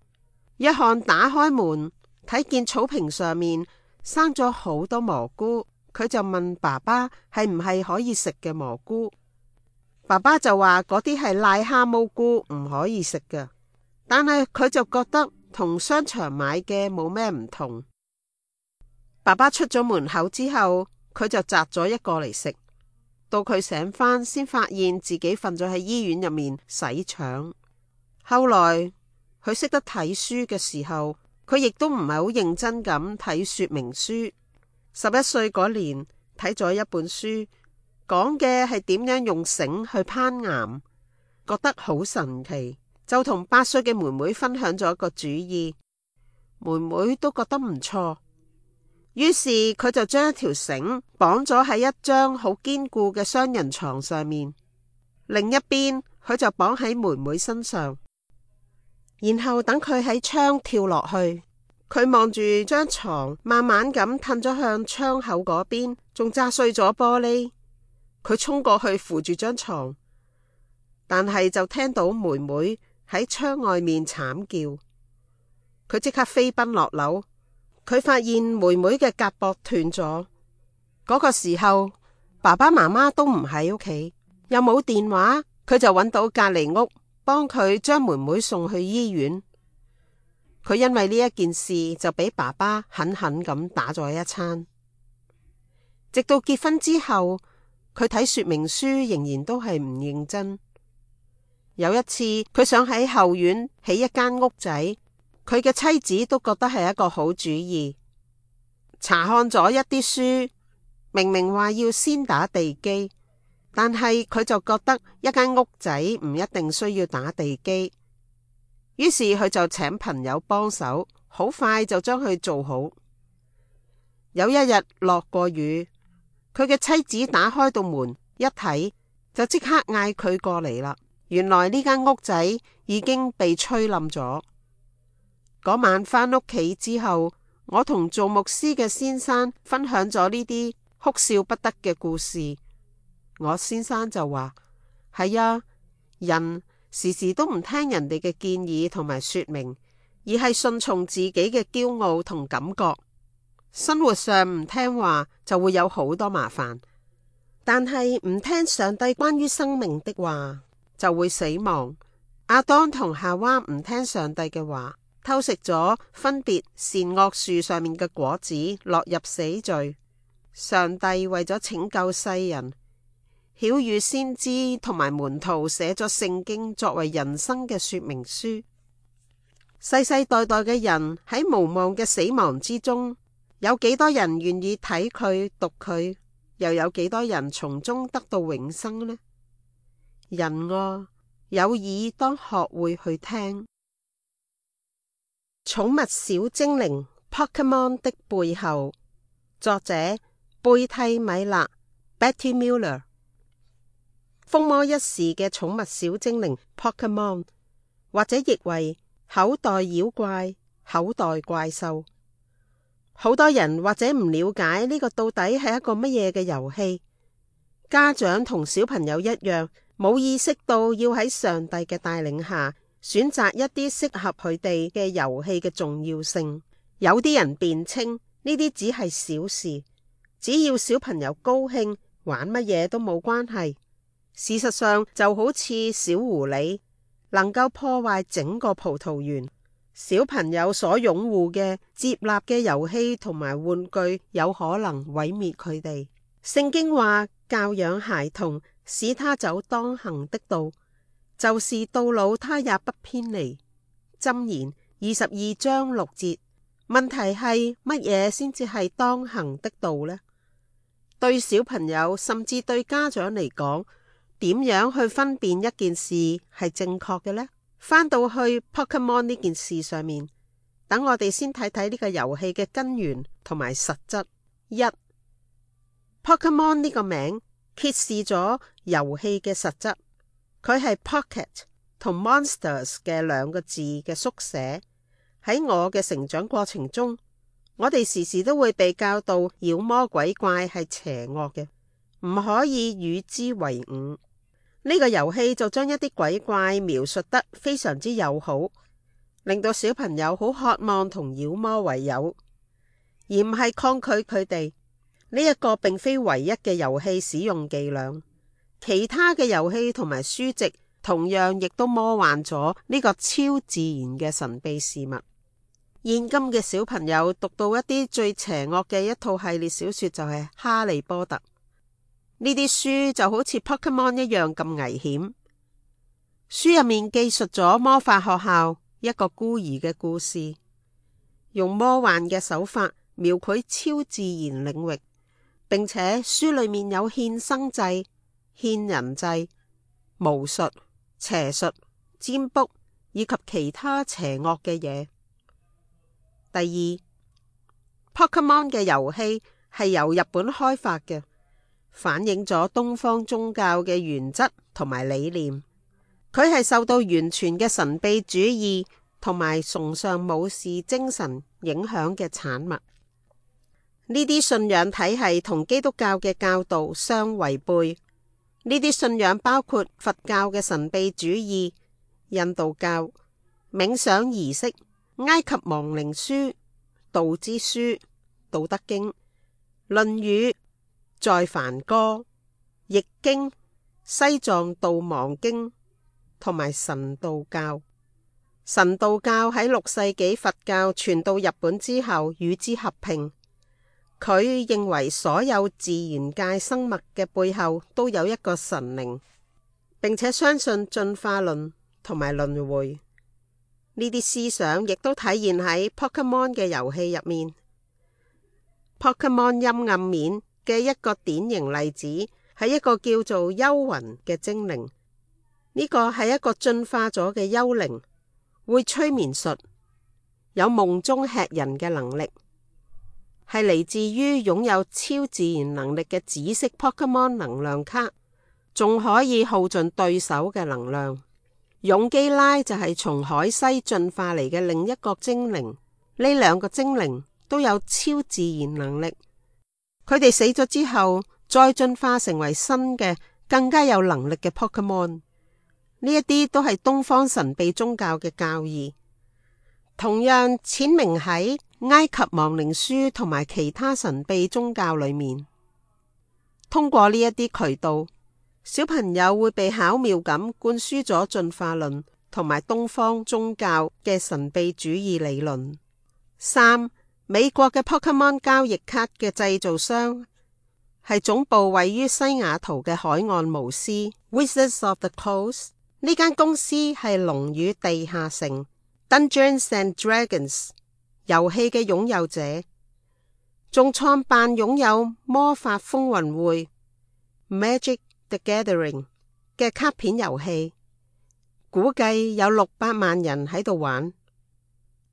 約翰打開門，睇見草坪上面生咗好多蘑菇，佢就問爸爸係唔係可以食嘅蘑菇。爸爸就話嗰啲係癩蛤蟆菇，唔可以食嘅。但係佢就覺得同商場買嘅冇咩唔同。爸爸出咗門口之後，佢就摘咗一個嚟食。到佢醒返，先發現自己瞓咗喺醫院入面洗腸。後來佢識得睇書嘅時候，佢亦都唔係好認真咁睇說明書。十一歲嗰年睇咗一本書，講嘅係點樣用繩去攀岩，覺得好神奇，就同八歲嘅妹妹分享咗一個主意。妹妹都覺得唔錯，於是佢就將一條繩綁咗喺一張好堅固嘅雙人床上面，另一邊佢就綁喺妹妹身上，然後等佢喺窗跳落去。佢望住張床，慢慢咁褪咗向窗口嗰邊，仲砸碎咗玻璃。佢衝過去扶住張床，但係就聽到妹妹喺窗外面慘叫。佢即刻飛奔落樓，佢發現妹妹嘅胳膊斷咗。嗰個時候，爸爸媽媽都唔喺屋企，又冇電話，佢就揾到隔離屋，幫佢將妹妹送去醫院。佢因為呢一件事就俾爸爸狠狠咁打咗一餐。直到結婚之後，佢睇說明書仍然都係唔認真。有一次，佢想喺後院起一間屋仔，佢嘅妻子都覺得係一個好主意。查看咗一啲書，明明話要先打地基，但係佢就覺得一間屋仔唔一定需要打地基。於是佢就請朋友幫手，好快就將佢做好。有一日落過雨，佢嘅妻子打開道門一睇，就即刻嗌佢過嚟啦。原來呢間屋仔已經被吹冧咗。嗰晚返屋企之後，我同做牧師嘅先生分享咗呢啲哭笑不得嘅故事。我先生就話：係啊，人時時都唔聽人哋嘅建議同埋說明，而係順從自己嘅驕傲同感覺。生活上唔聽話就會有好多麻煩，但係唔聽上帝關於生命的話就會死亡。亞當同夏娃唔聽上帝嘅話，偷食咗分別善惡樹上面嘅果子，落入死罪。上帝為咗拯救世人，曉諭先知同埋門徒寫咗聖經作為人生嘅說明書。世世代代嘅人喺無望嘅死亡之中，有幾多人願意睇佢讀佢，又有幾多人從中得到永生呢？人啊，有耳當學會去聽。寵物小精靈 Pokemon 的背後，作者貝蒂米勒 Betty Muller。風魔一時嘅寵物小精靈 Pokemon， 或者譯為口袋妖怪、口袋怪獸。好多人或者唔了解呢個到底係一個乜嘢嘅遊戲。家長同小朋友一樣，冇意識到要喺上帝嘅帶領下選擇一啲適合佢哋嘅遊戲嘅重要性。有啲人辯稱呢啲只係小事，只要小朋友高興，玩乜嘢都冇關係。事實上就好似小狐狸，能夠破壞整個葡萄園。小朋友所擁護嘅、接納嘅遊戲同埋玩具，有可能毀滅佢哋。聖經話，教養孩童，使他走當行的道，就是到老他也不偏離。箴言二十二章六節。問題係乜嘢先至係當行的道呢？對小朋友甚至對家長嚟講，點樣去分辨一件事係正確嘅呢？返到去 Pokemon 呢件事上面，等我哋先睇睇呢個遊戲嘅根源同埋實質。一、Pokemon 呢個名揭示咗遊戲嘅實質，佢係 Pocket 同 Monsters 嘅兩個字嘅縮寫。喺我嘅成長過程中，我哋時時都會被教導妖魔鬼怪係邪惡嘅，唔可以與之為伍。呢個遊戲就將一啲鬼怪描述得非常之友好，令到小朋友好渴望同妖魔為友，而唔係抗拒佢哋。呢一個並非唯一嘅遊戲使用伎倆，其他嘅遊戲同埋書籍同樣亦都魔幻咗呢個超自然嘅神秘事物。現今嘅小朋友讀到一啲最邪惡嘅一套系列小說就係《哈利波特》。呢啲書就好似 Pokemon 一樣咁危險。書入面記述咗魔法學校一個孤兒嘅故事，用魔幻嘅手法描繪超自然領域，並且書裏面有獻生祭、獻人祭、巫術、邪術、占卜以及其他邪惡嘅嘢。第二， Pokemon 嘅遊戲係由日本開發嘅，反映咗東方宗教嘅原則同埋理念。佢係受到完全嘅神秘主義同埋崇尚武士精神影響嘅產物。呢啲信仰體系同基督教嘅教導相違背。呢啲信仰包括佛教嘅神秘主義、印度教、冥想儀式、埃及亡靈書、道之書、道德經、論語、在梵歌、易經、西藏度亡經同埋神道教。神道教喺六世紀佛教傳到日本之後與之合併。佢認為所有自然界生物嘅背後都有一個神靈，並且相信進化論同埋輪迴。呢啲思想亦都體現喺 Pokemon 嘅遊戲入面。Pokemon 陰暗面嘅一個典型例子係一個叫做幽魂嘅精靈。呢個係一個進化咗嘅幽靈，會催眠術，有夢中吃人嘅能力，係嚟自於擁有超自然能力嘅紫色 Pokemon 能量卡，仲可以耗盡對手嘅能量。勇基拉就係從海西進化嚟嘅另一個精靈。呢兩個精靈都有超自然能力，佢哋死咗之後再進化成為新嘅更加有能力嘅 Pokemon。呢一啲都係東方神秘宗教嘅教義，同樣闡明喺埃及亡靈書同埋其他神秘宗教裏面。通過呢一啲渠道，小朋友會被巧妙咁灌輸咗進化論同埋東方宗教嘅神秘主義理論。三、美國嘅 Pokemon 交易卡嘅製造商係總部位於西雅圖嘅海岸巫師 Wizards of the Coast。呢間公司係龍與地下城 Dungeons and Dragons 遊戲嘅擁有者，仲創辦擁有魔法風雲會 Magic the Gathering 嘅卡片遊戲，估計有六百萬人喺度玩，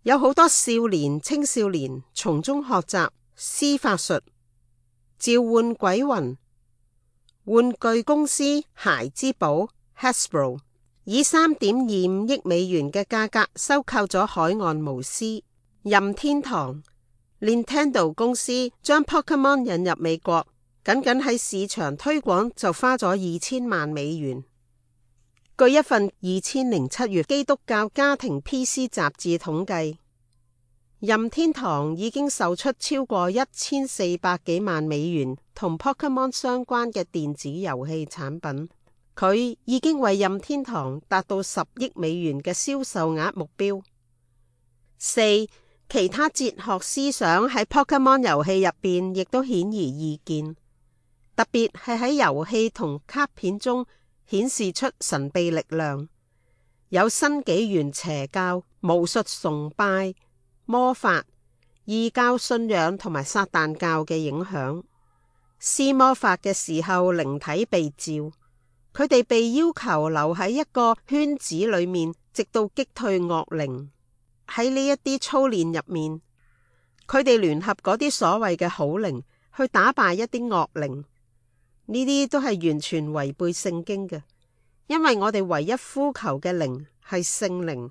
有好多少年青少年從中學習施法術、召喚鬼魂。玩具公司孩之寶 Hasbro 以三點二五億美元嘅價格收購咗海岸巫師。任天堂 Nintendo 公司將 Pokemon 引入美國，僅僅喺市場推廣就花咗二千萬美元。據一份二千零七月基督教家庭 P C 雜誌統計，任天堂已經售出超過一千四百幾萬美元同 Pokemon 相關嘅電子遊戲產品。佢已經為任天堂達到十億美元嘅銷售額目標。四、其他哲學思想喺 Pokemon 遊戲入邊亦都顯而易見，特別係喺遊戲同卡片中顯示出神秘力量，有新紀元邪教、巫術崇拜、魔法、異教信仰同埋撒旦教嘅影響。施魔法嘅時候，靈體被召，佢哋被要求留喺一個圈子裏面，直到擊退惡靈。喺呢一啲操練入面，佢哋聯合嗰啲所謂嘅好靈去打敗一啲惡靈。呢啲都係完全違背聖經嘅，因為我哋唯一呼求嘅靈係聖靈，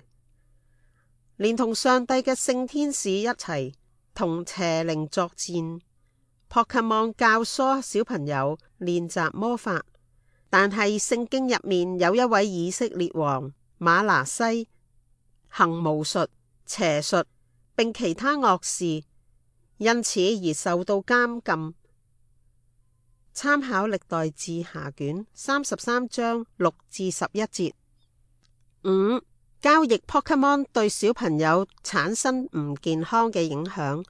連同上帝嘅聖天使一齊同邪靈作戰。Pokemon 教唆小朋友練習魔法，但係聖經入面有一位以色列王馬拿西行巫術、邪術並其他惡事，因此而受到監禁。參考歷代志下卷三十三章六至十一節。五、交易 Pokemon 對小朋友產生唔健康嘅影響。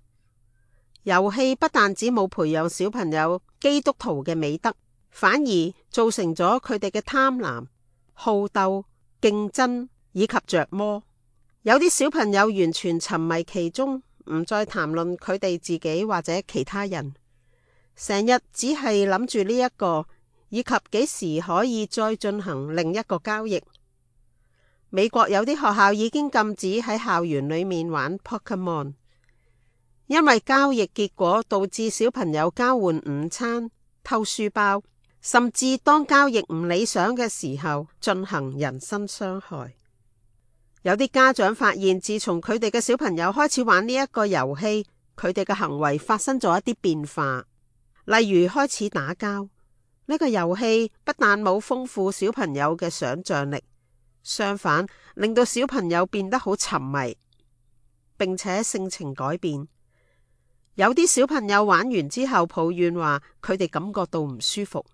遊戲不但只冇培養小朋友基督徒嘅美德，反而造成咗佢哋嘅貪婪、好鬥、競爭以及着魔。有啲小朋友完全沉迷其中，唔再談論佢哋自己或者其他人，成日只係諗住呢一個，以及幾時可以再進行另一個交易。美國有啲學校已經禁止喺校園裏面玩 Pokemon。因為交易結果導致小朋友交換午餐、偷書包，甚至當交易唔理想嘅時候進行人身傷害。有啲家長發現，自從佢哋嘅小朋友開始玩呢一個遊戲，佢哋嘅行為發生咗一啲變化，例如開始打交。呢個遊戲不但冇豐富小朋友嘅想象力，相反令到小朋友變得好沉迷，並且性情改變。有啲小朋友玩完之後抱怨話，佢哋感覺到唔舒服。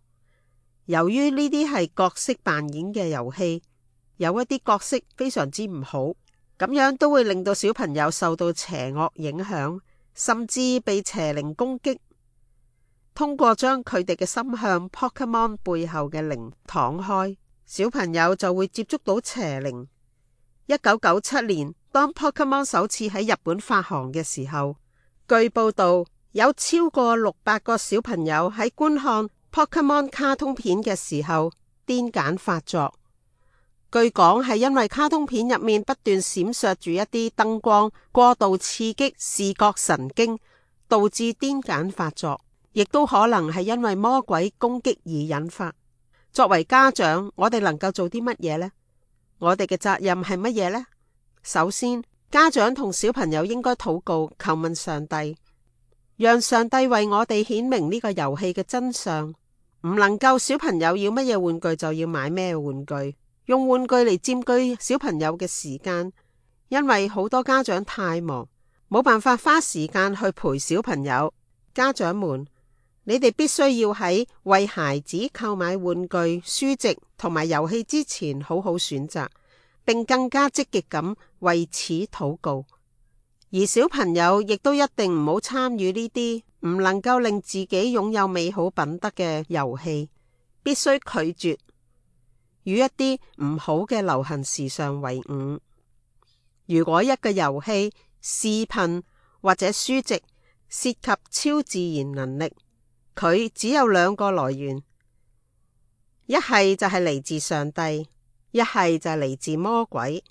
由於呢啲係角色扮演嘅遊戲，有一啲角色非常之唔好，咁樣都會令到小朋友受到邪惡影響，甚至被邪靈攻擊。通過將佢哋嘅心向 Pokemon 背後嘅靈敞開，小朋友就會接觸到邪靈。一九九七年，當 Pokemon 首次喺日本發行嘅時候，據報道，有超過六百個小朋友喺觀看 Pokemon 卡通片嘅時候癲癇發作。據講係因為卡通片入面不斷閃爍住一啲燈光，過度刺激視覺神經，導致癲癇發作，亦都可能係因為魔鬼攻擊而引發。作為家長，我哋能夠做啲乜嘢呢？我哋嘅責任係乜嘢呢？首先，家長同小朋友應該禱告，求問上帝，讓上帝為我哋顯明呢個遊戲嘅真相。唔能夠小朋友要乜嘢玩具就要買咩玩具，用玩具嚟佔據小朋友嘅時間，因為好多家長太忙，冇辦法花時間去陪小朋友。家長們，你哋必須要喺為孩子購買玩具、書籍同埋遊戲之前好好選擇，並更加積極咁為此禱告。而小朋友亦都一定唔好參與呢啲唔能夠令自己擁有美好品德嘅遊戲，必須拒絕與一啲唔好嘅流行時尚為伍。如果一個遊戲、視頻或者書籍涉及超自然能力，佢只有兩個來源，一係就係嚟自上帝，一係就係嚟自魔鬼。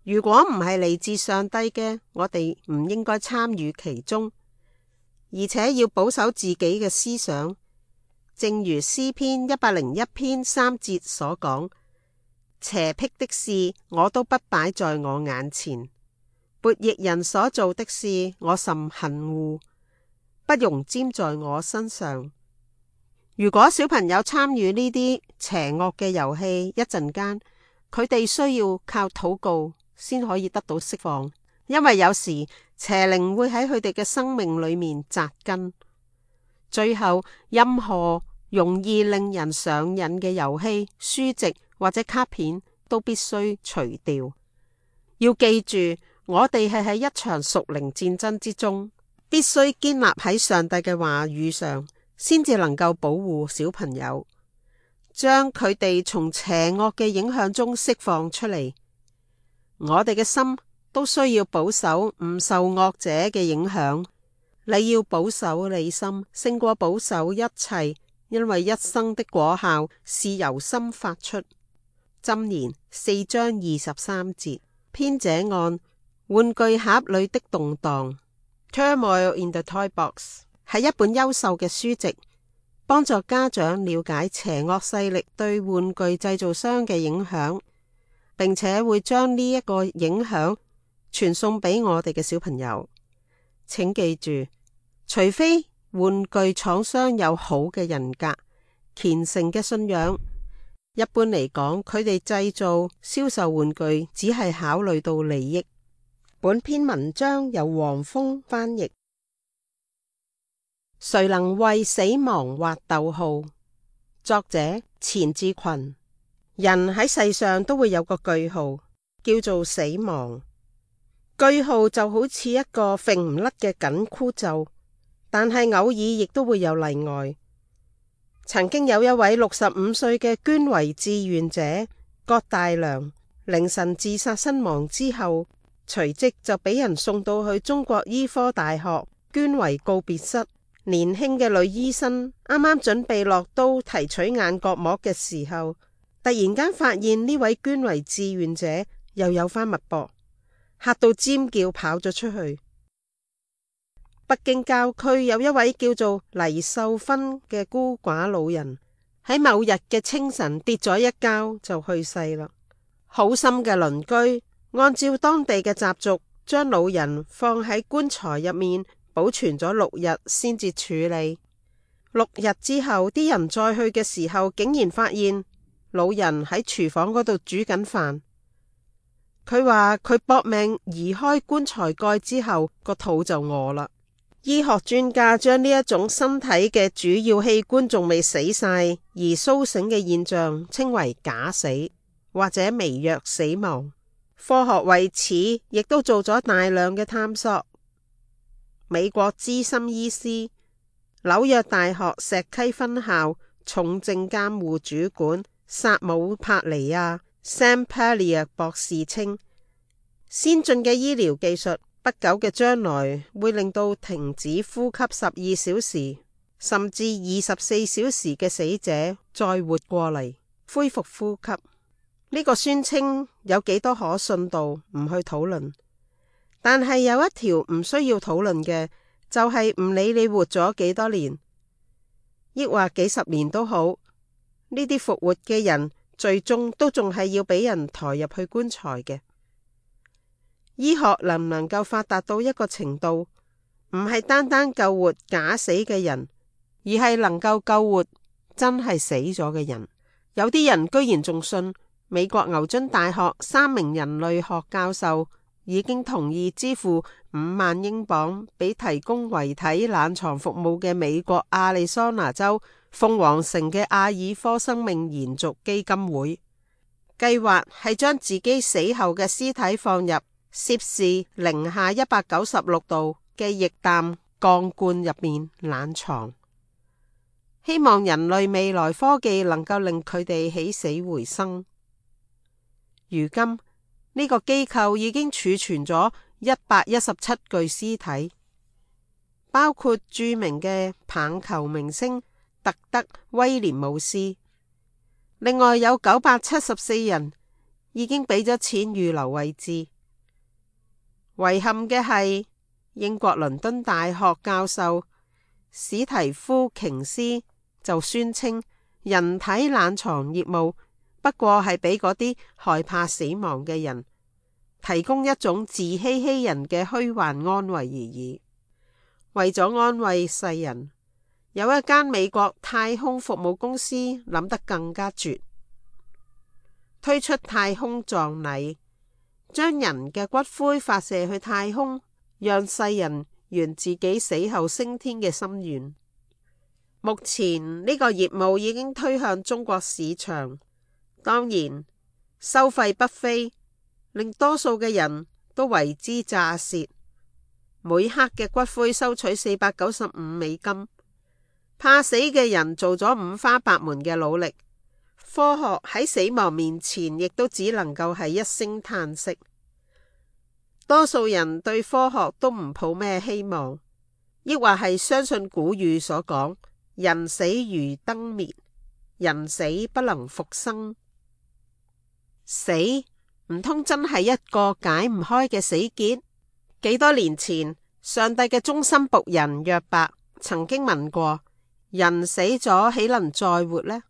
如果唔係嚟自上帝嘅，我哋唔應該參與其中，而且要保守自己嘅思想。正如詩篇一百零一篇三節所講，邪僻的事我都不擺在我眼前，悖逆人所做的事我甚恨惡，不容沾在我身上。如果小朋友參與呢啲邪惡嘅遊戲，一陣間佢哋需要靠禱告先可以得到釋放，因為有時邪靈會喺佢哋嘅生命裏面扎根。最後，任何容易令人上癮嘅遊戲、書籍或者卡片都必須除掉。要記住，我哋係喺一場屬靈戰爭之中，必須堅立喺上帝嘅話語上，先至能夠保護小朋友，將佢哋從邪惡嘅影響中釋放出嚟。我哋嘅心都需要保守，唔受惡者嘅影響。你要保守你心，勝過保守一切，因為一生的果效是由心發出。箴言四章二十三節。編者按玩具盒裏的動盪 Turmoil in the Toy Box 係一本優秀嘅書籍，幫助家長了解邪惡勢力對玩具製造商嘅影響，並且會將呢一個影響傳送俾我哋嘅小朋友。請記住，除非玩具廠商有好嘅人格、虔誠嘅信仰，一般嚟講，佢哋製造、銷售玩具只係考慮到利益。本篇文章由黃蜂翻譯。誰能為死亡畫逗號？作者錢志群。人喺世上都會有個句號，叫做死亡。句號就好似一個揈唔甩嘅緊箍咒，但係偶爾亦都會有例外。曾經有一位六十五歲嘅捐遺志願者郭大良，凌晨自殺身亡之後，隨即就俾人送到去中國醫科大學捐遺告別室。年輕嘅女醫生啱啱準備落刀提取眼角膜嘅時候，突然間發現呢位捐遺志願者又有返脈搏，嚇到尖叫跑咗出去。北京郊區有一位叫做黎秀芬嘅孤寡老人，喺某日嘅清晨跌咗一跤就去世啦。好心嘅鄰居按照當地嘅習俗，將老人放喺棺材入面保存咗六日先至處理。六日之後，啲人再去嘅時候，竟然發現老人喺廚房嗰度煮緊飯。佢話佢搏命移開棺材蓋之後，個肚就餓啦。醫學專家將呢一種身體嘅主要器官仲未死晒而蘇醒嘅現象稱為假死或者微弱死亡。科學為此亦都做咗大量嘅探索。美國資深醫師、紐約大學石溪分校重症監護主管薩姆帕尼亞 Sam Pallier 博士稱，先進嘅醫療技術不久嘅將來會令到停止呼吸十二小時甚至二十四小時嘅死者再活過嚟，恢復呼吸。呢個宣稱有幾多可信度唔去討論，但係有一條唔需要討論嘅，就係唔理你活咗幾多年，抑或幾十年都好，呢啲復活嘅人最終都仲係要俾人抬入去棺材嘅。醫學能唔能夠發達到一個程度，唔係單單救活假死嘅人，而係能夠救活真係死咗嘅人。有啲人居然仲信美國牛津大學三名人類學教授已經同意支付五萬英鎊俾提供遺體冷藏服務嘅美國亞利桑那州鳳凰城嘅阿爾科生命延續基金會，計劃係將自己死後嘅屍體放入攝氏零下一百九十六度嘅液氮鋼罐入面冷藏，希望人類未來科技能夠令佢哋起死回生。如今呢個機構已經儲存咗一百一十七具屍體，包括著名嘅棒球明星特德威廉姆斯，另外有九百七十四人已經俾咗錢預留位置。遺憾嘅係，英國倫敦大學教授史提夫瓊斯就宣稱，人體冷藏業務不過係俾嗰啲害怕死亡嘅人提供一種自欺欺人嘅虛幻安慰而已。為咗安慰世人，有一間美國太空服務公司諗得更加絕，推出太空葬禮，將人嘅骨灰發射去太空，讓世人圓自己死後升天嘅心願。目前呢個業務已經推向中國市場，當然收費不菲，令多數嘅人都為之咋舌。每克嘅骨灰收取四百九十五美金，怕死嘅人做咗五花八門嘅努力，科學喺死亡面前亦都只能夠係一聲嘆息。多數人對科學都唔抱咩希望，抑或係相信古語所講，人死如燈滅，人死不能復生。死唔通真係一個解唔開嘅死結？幾多年前，上帝嘅忠心僕人約伯曾經問過：人死咗豈能再活呢？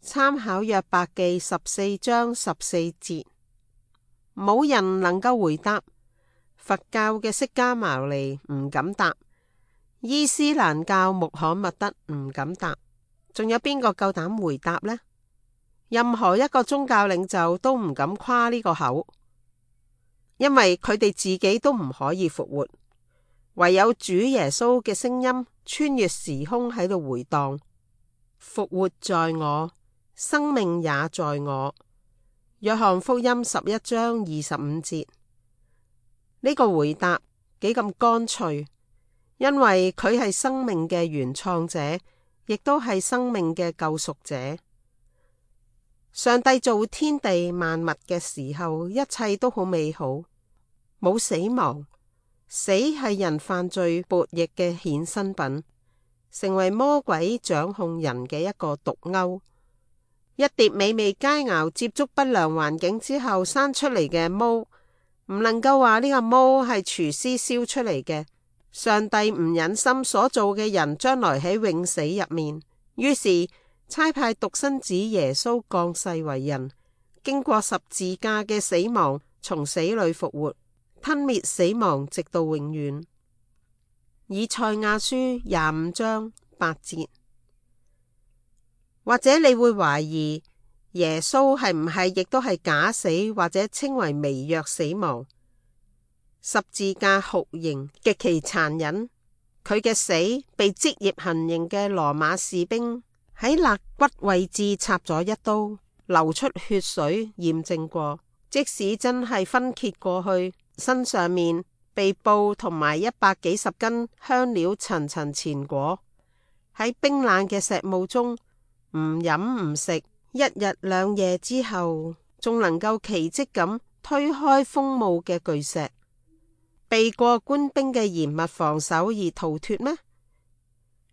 參考約伯記十四章十四節，冇人能夠回答。佛教嘅釋迦牟尼唔敢答，伊斯蘭教穆罕默德唔敢答，仲有邊個夠膽回答呢？任何一個宗教領袖都唔敢誇呢個口。因為佢哋自己都唔可以復活，唯有主耶穌嘅聲音穿越時空喺度回蕩：復活在我，生命也在我。約翰福音十一章二十五節。呢個回答幾咁乾脆，因為佢係生命嘅原創者，亦都係生命嘅救贖者。上帝造天地萬物嘅時候，一切都好美好，冇死亡。死係人犯罪悖逆嘅衍生品，成為魔鬼掌控人嘅一個毒鈎。一碟美味佳肴接觸不良環境之後生出嚟嘅毛，唔能夠話呢個毛係廚師燒出嚟嘅。上帝唔忍心所做嘅人將來喺永死入面，於是差派獨生子耶穌降世為人，經過十字架嘅死亡，從死裏復活，吞滅死亡，直到永遠。以賽亞書廿五章八節。或者你會懷疑耶穌係唔係亦都係假死，或者稱為微弱死亡？十字架酷刑極其殘忍，佢嘅死被職業行刑嘅羅馬士兵喺肋骨位置插咗一刀，流出血水，驗證過。即使真係分揭過去，身上面被布同埋一百幾十斤香料層層纏裹，喺冰冷嘅石霧中唔飲唔食，一日兩夜之後，仲能夠奇蹟咁推開風霧嘅巨石，避過官兵嘅嚴密防守而逃脫咩？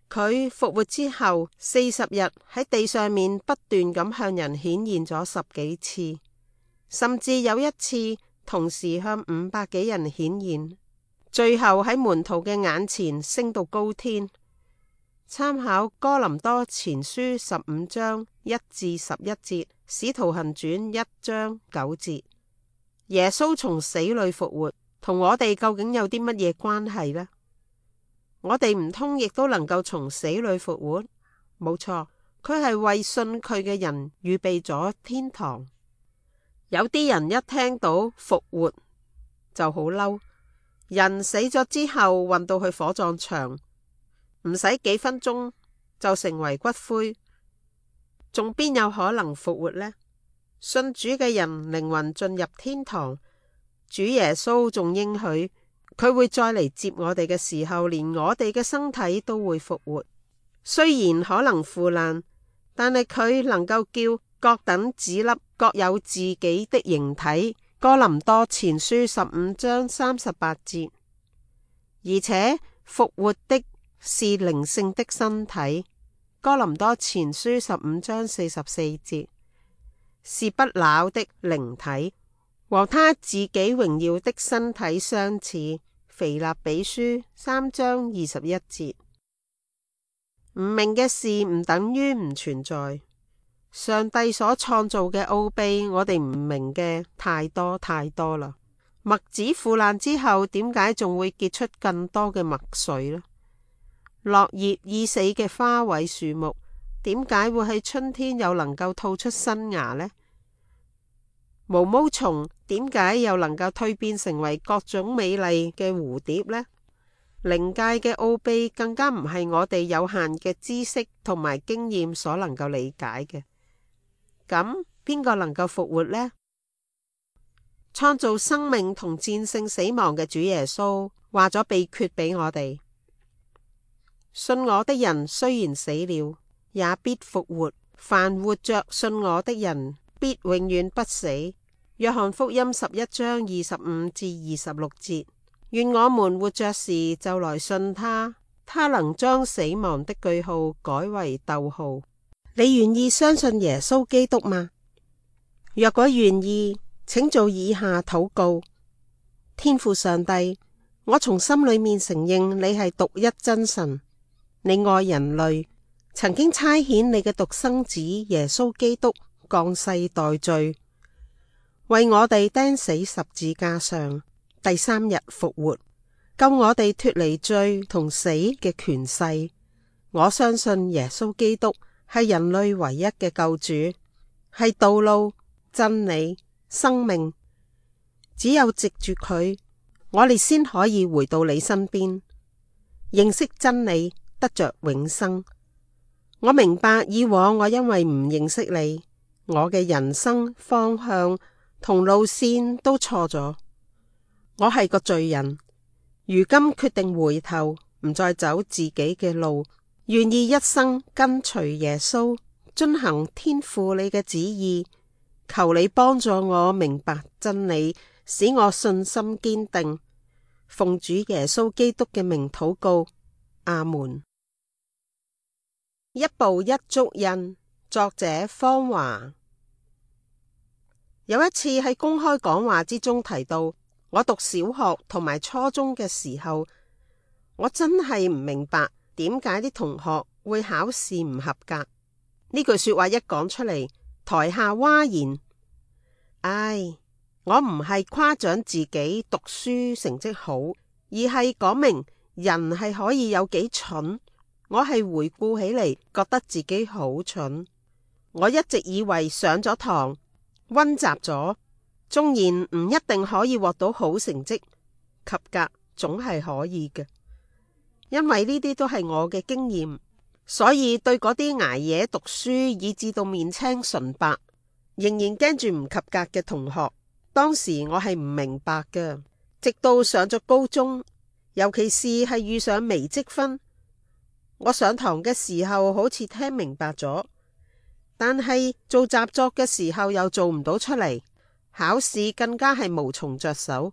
佢復活之後四十日喺地上面不斷咁向人顯現咗十幾次，甚至有一次同時向五百幾人顯現，最後喺門徒嘅眼前升到高天。參考哥林多前書十五章一至十一節，使徒行傳一章九節。耶穌從死裏復活，同我哋究竟有啲乜嘢關係呢？我哋唔通亦都能夠從死裏復活？冇錯，佢係為信佢嘅人預備咗天堂。有啲人一聽到復活就好嬲，人死咗之後運到去火葬場，唔使幾分鐘就成為骨灰，仲邊有可能復活呢？信主嘅人靈魂進入天堂，主耶穌仲應許佢會再嚟接我哋嘅時候，連我哋嘅身體都會復活。雖然可能腐爛，但係佢能夠叫各等子粒各有自己的形體。哥林多前書十五章三十八節。而且復活的是靈性的身體。哥林多前書十五章四十四節。是不朽的靈體，和他自己榮耀的身體相似。腓立比書三章二十一節。唔明嘅事唔等於唔存在。上帝所創造嘅奧秘，我哋唔明嘅太多太多啦。麥子腐爛之後，點解仲會結出更多嘅麥穗呢？落葉已死嘅花卉樹木，點解會喺春天又能夠吐出新芽呢？毛毛蟲點解又能夠蛻變成為各種美麗嘅蝴蝶呢？靈界嘅奧秘更加唔係我哋有限嘅知識同埋經驗所能夠理解嘅。咁邊個能夠復活呢？創造生命同戰勝死亡嘅主耶穌話咗秘訣俾我哋：信我的人雖然死了，也必復活；凡活着信我的人，必永遠不死。約翰福音十一章二十五至二十六節。願我們活着時就來信他，他能將死亡的句號改為逗號。你願意相信耶穌基督嗎？若果願意，請做以下禱告：天父上帝，我從心裏面承認你係獨一真神，你愛人類，曾經差遣你嘅獨生子耶穌基督降世代罪，為我哋釘死十字架上，第三日復活，救我哋脫離罪同死嘅權勢。我相信耶穌基督係人類唯一嘅救主，係道路、真理、生命。只有藉住佢，我哋先可以回到你身邊，認識真理，得着永生。我明白以往我因為唔認識你，我嘅人生方向同路線都錯咗。我係個罪人，如今決定回頭，唔再走自己嘅路，願意一生跟隨耶穌，遵行天父你嘅旨意。求你幫助我明白真理，使我信心堅定。奉主耶穌基督嘅名禱告，阿門。一步一足印，作者方華。有一次喺公開講話之中提到，我讀小學同埋初中嘅時候，我真係唔明白點解啲同學會考試唔合格。呢句說話一講出嚟，台下嘩然。唉，我唔係誇獎自己讀書成績好，而係講明人係可以有幾蠢。我係回顧起嚟，覺得自己好蠢。我一直以為上咗堂溫習咗，縱然唔一定可以獲到好成績，及格總係可以嘅。因為呢啲都係我嘅經驗，所以對嗰啲捱夜讀書以至到面青唇白，仍然驚住唔及格嘅同學，當時我係唔明白嘅。直到上咗高中，尤其是係遇上微積分，我上堂嘅時候好似聽明白咗，但係做習作嘅時候又做唔到出嚟，考試更加係無從着手。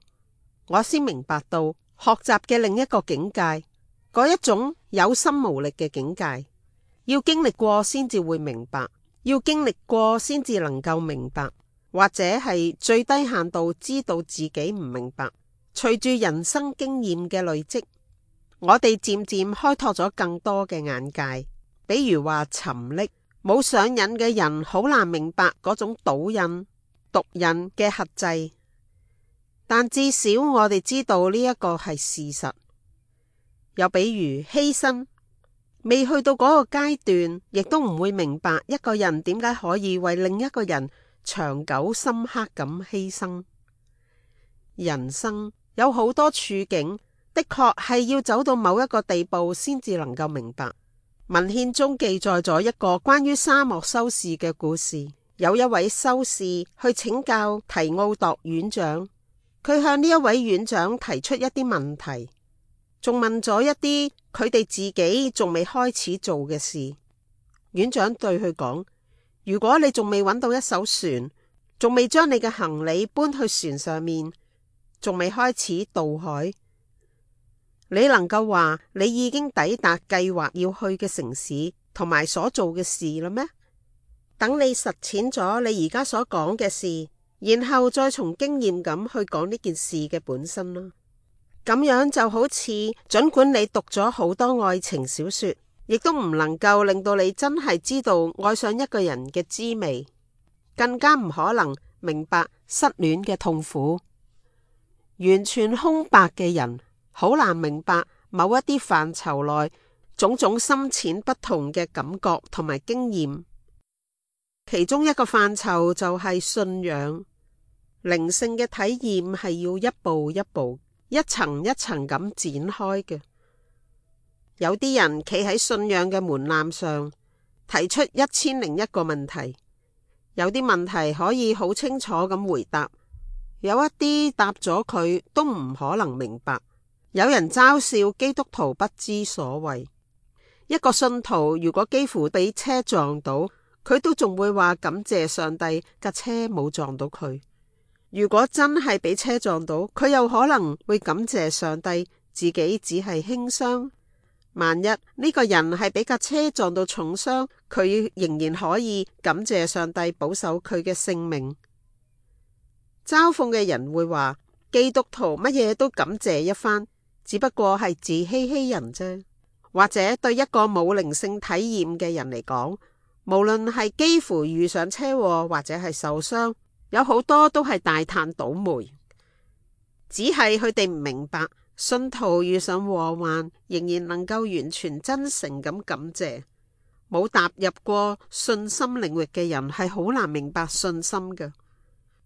我先明白到學習嘅另一個境界，嗰一種有心無力嘅境界，要經歷過先至會明白，要經歷過先至能夠明白，或者係最低限度知道自己唔明白。隨住人生經驗嘅累積，我哋漸漸開拓咗更多嘅眼界。比如話沉溺冇上癮嘅人好難明白嗰種賭癮、毒癮嘅轄制，但至少我哋知道呢一個係事實。又比如犧牲，未去到嗰個階段，亦都唔會明白一個人點解可以為另一個人長久深刻咁犧牲。人生有好多處境，的確係要走到某一個地步先至能夠明白。文獻中記載咗一個關於沙漠修士嘅故事。有一位修士去請教提奧度院長，佢向呢一位院長提出一啲問題，仲問咗一啲佢哋自己仲未開始做嘅事。院長對佢講：如果你仲未揾到一艘船，仲未將你嘅行李搬去船上面，仲未開始渡海，你能夠話你已經抵達計劃要去嘅城市同埋所做嘅事啦咩？等你實踐咗你而家所講嘅事，然後再從經驗咁去講呢件事嘅本身啦。咁樣就好似盡管你讀咗好多愛情小說，亦都唔能夠令到你真係知道愛上一個人嘅滋味，更加唔可能明白失戀嘅痛苦。完全空白嘅人好難明白某一啲範疇內種種深淺不同嘅感覺同埋經驗。其中一個範疇就係信仰，靈性嘅體驗係要一步一步、一層一層咁展開嘅。有啲人企喺信仰嘅門檻上，提出一千零一個問題，有啲問題可以好清楚咁回答，有一啲答咗佢都唔可能明白。有人嘲笑基督徒不知所謂。一個信徒如果幾乎俾車撞到，佢都仲會話感謝上帝架車冇撞到佢。如果真係俾車撞到，佢又可能會感謝上帝自己只係輕傷。萬一呢個人係俾架車撞到重傷，佢仍然可以感謝上帝保守佢嘅性命。嘲諷嘅人會話，基督徒乜嘢都感謝一番，只不過係自欺欺人啫。或者對一個冇靈性體驗嘅人嚟講，無論係幾乎遇上車禍或者係受傷，有好多都係大嘆倒霉。只係佢哋唔明白，信徒遇上禍患，仍然能夠完全真誠咁感謝。冇踏入過信心領域嘅人係好難明白信心嘅，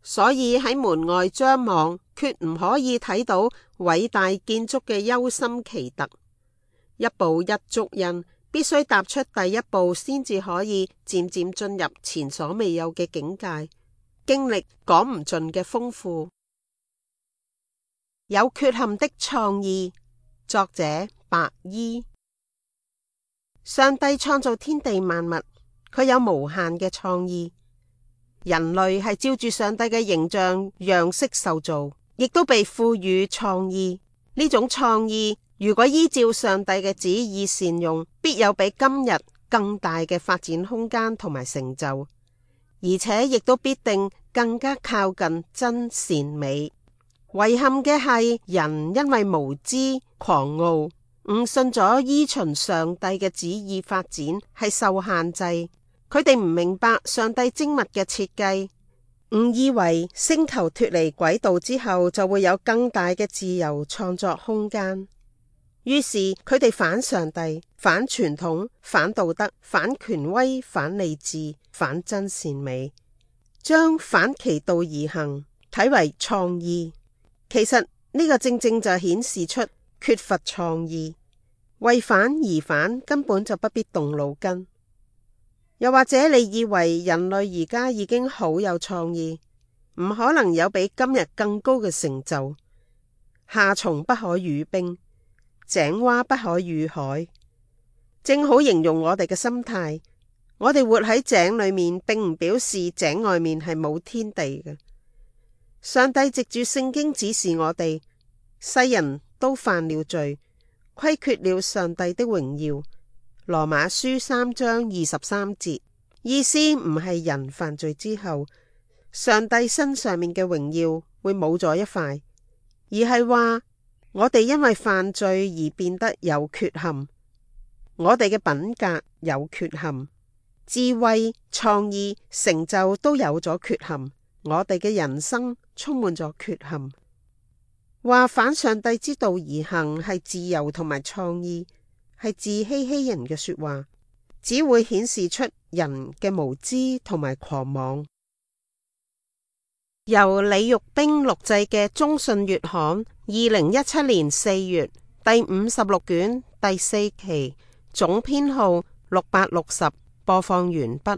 所以喺門外張望，決唔可以睇到偉大建築嘅憂心奇特。一步一足印，必須踏出第一步，先至可以漸漸進入前所未有嘅境界，經歷講唔盡嘅豐富。有缺陷的創意，作者白衣。上帝創造天地萬物，佢有無限嘅創意。人類係照住上帝嘅形象樣式受造，亦都被賦予創意。呢種創意如果依照上帝嘅旨意善用，必有比今日更大嘅發展空間同埋成就，而且亦都必定更加靠近真善美。遺憾嘅係，人因為無知狂傲，誤信咗依循上帝嘅旨意發展係受限制。佢哋唔明白上帝精密嘅設計，誤以為星球脫離軌道之後就會有更大嘅自由創作空間。於是佢哋反上帝、反傳統、反道德、反權威、反理智、反真善美，將反其道而行睇為創意。其實呢個正正就顯示出缺乏創意。為反而反，根本就不必動腦筋。又或者你以為人類而家已經好有創意，唔可能有比今日更高嘅成就。夏蟲不可語冰，井蛙不可語海，正好形容我哋嘅心態。我哋活喺井裏面，並唔表示井外面係冇天地嘅。上帝藉住聖經指示我哋，世人都犯了罪，虧缺了上帝的榮耀。羅馬書三章二十三節，意思唔係人犯罪之後，上帝身上面嘅榮耀會冇咗一塊，而係話我哋因為犯罪而變得有缺陷，我哋嘅品格有缺陷，智慧、創意、成就都有咗缺陷，我哋嘅人生充滿咗缺陷。話反上帝之道而行係自由同埋創意，係自欺欺人嘅說話，只會顯示出人嘅無知同埋狂妄。由李玉冰錄製嘅中信月刊，二零一七年四月第五十六卷第四期，總編號六百六十，播放完畢。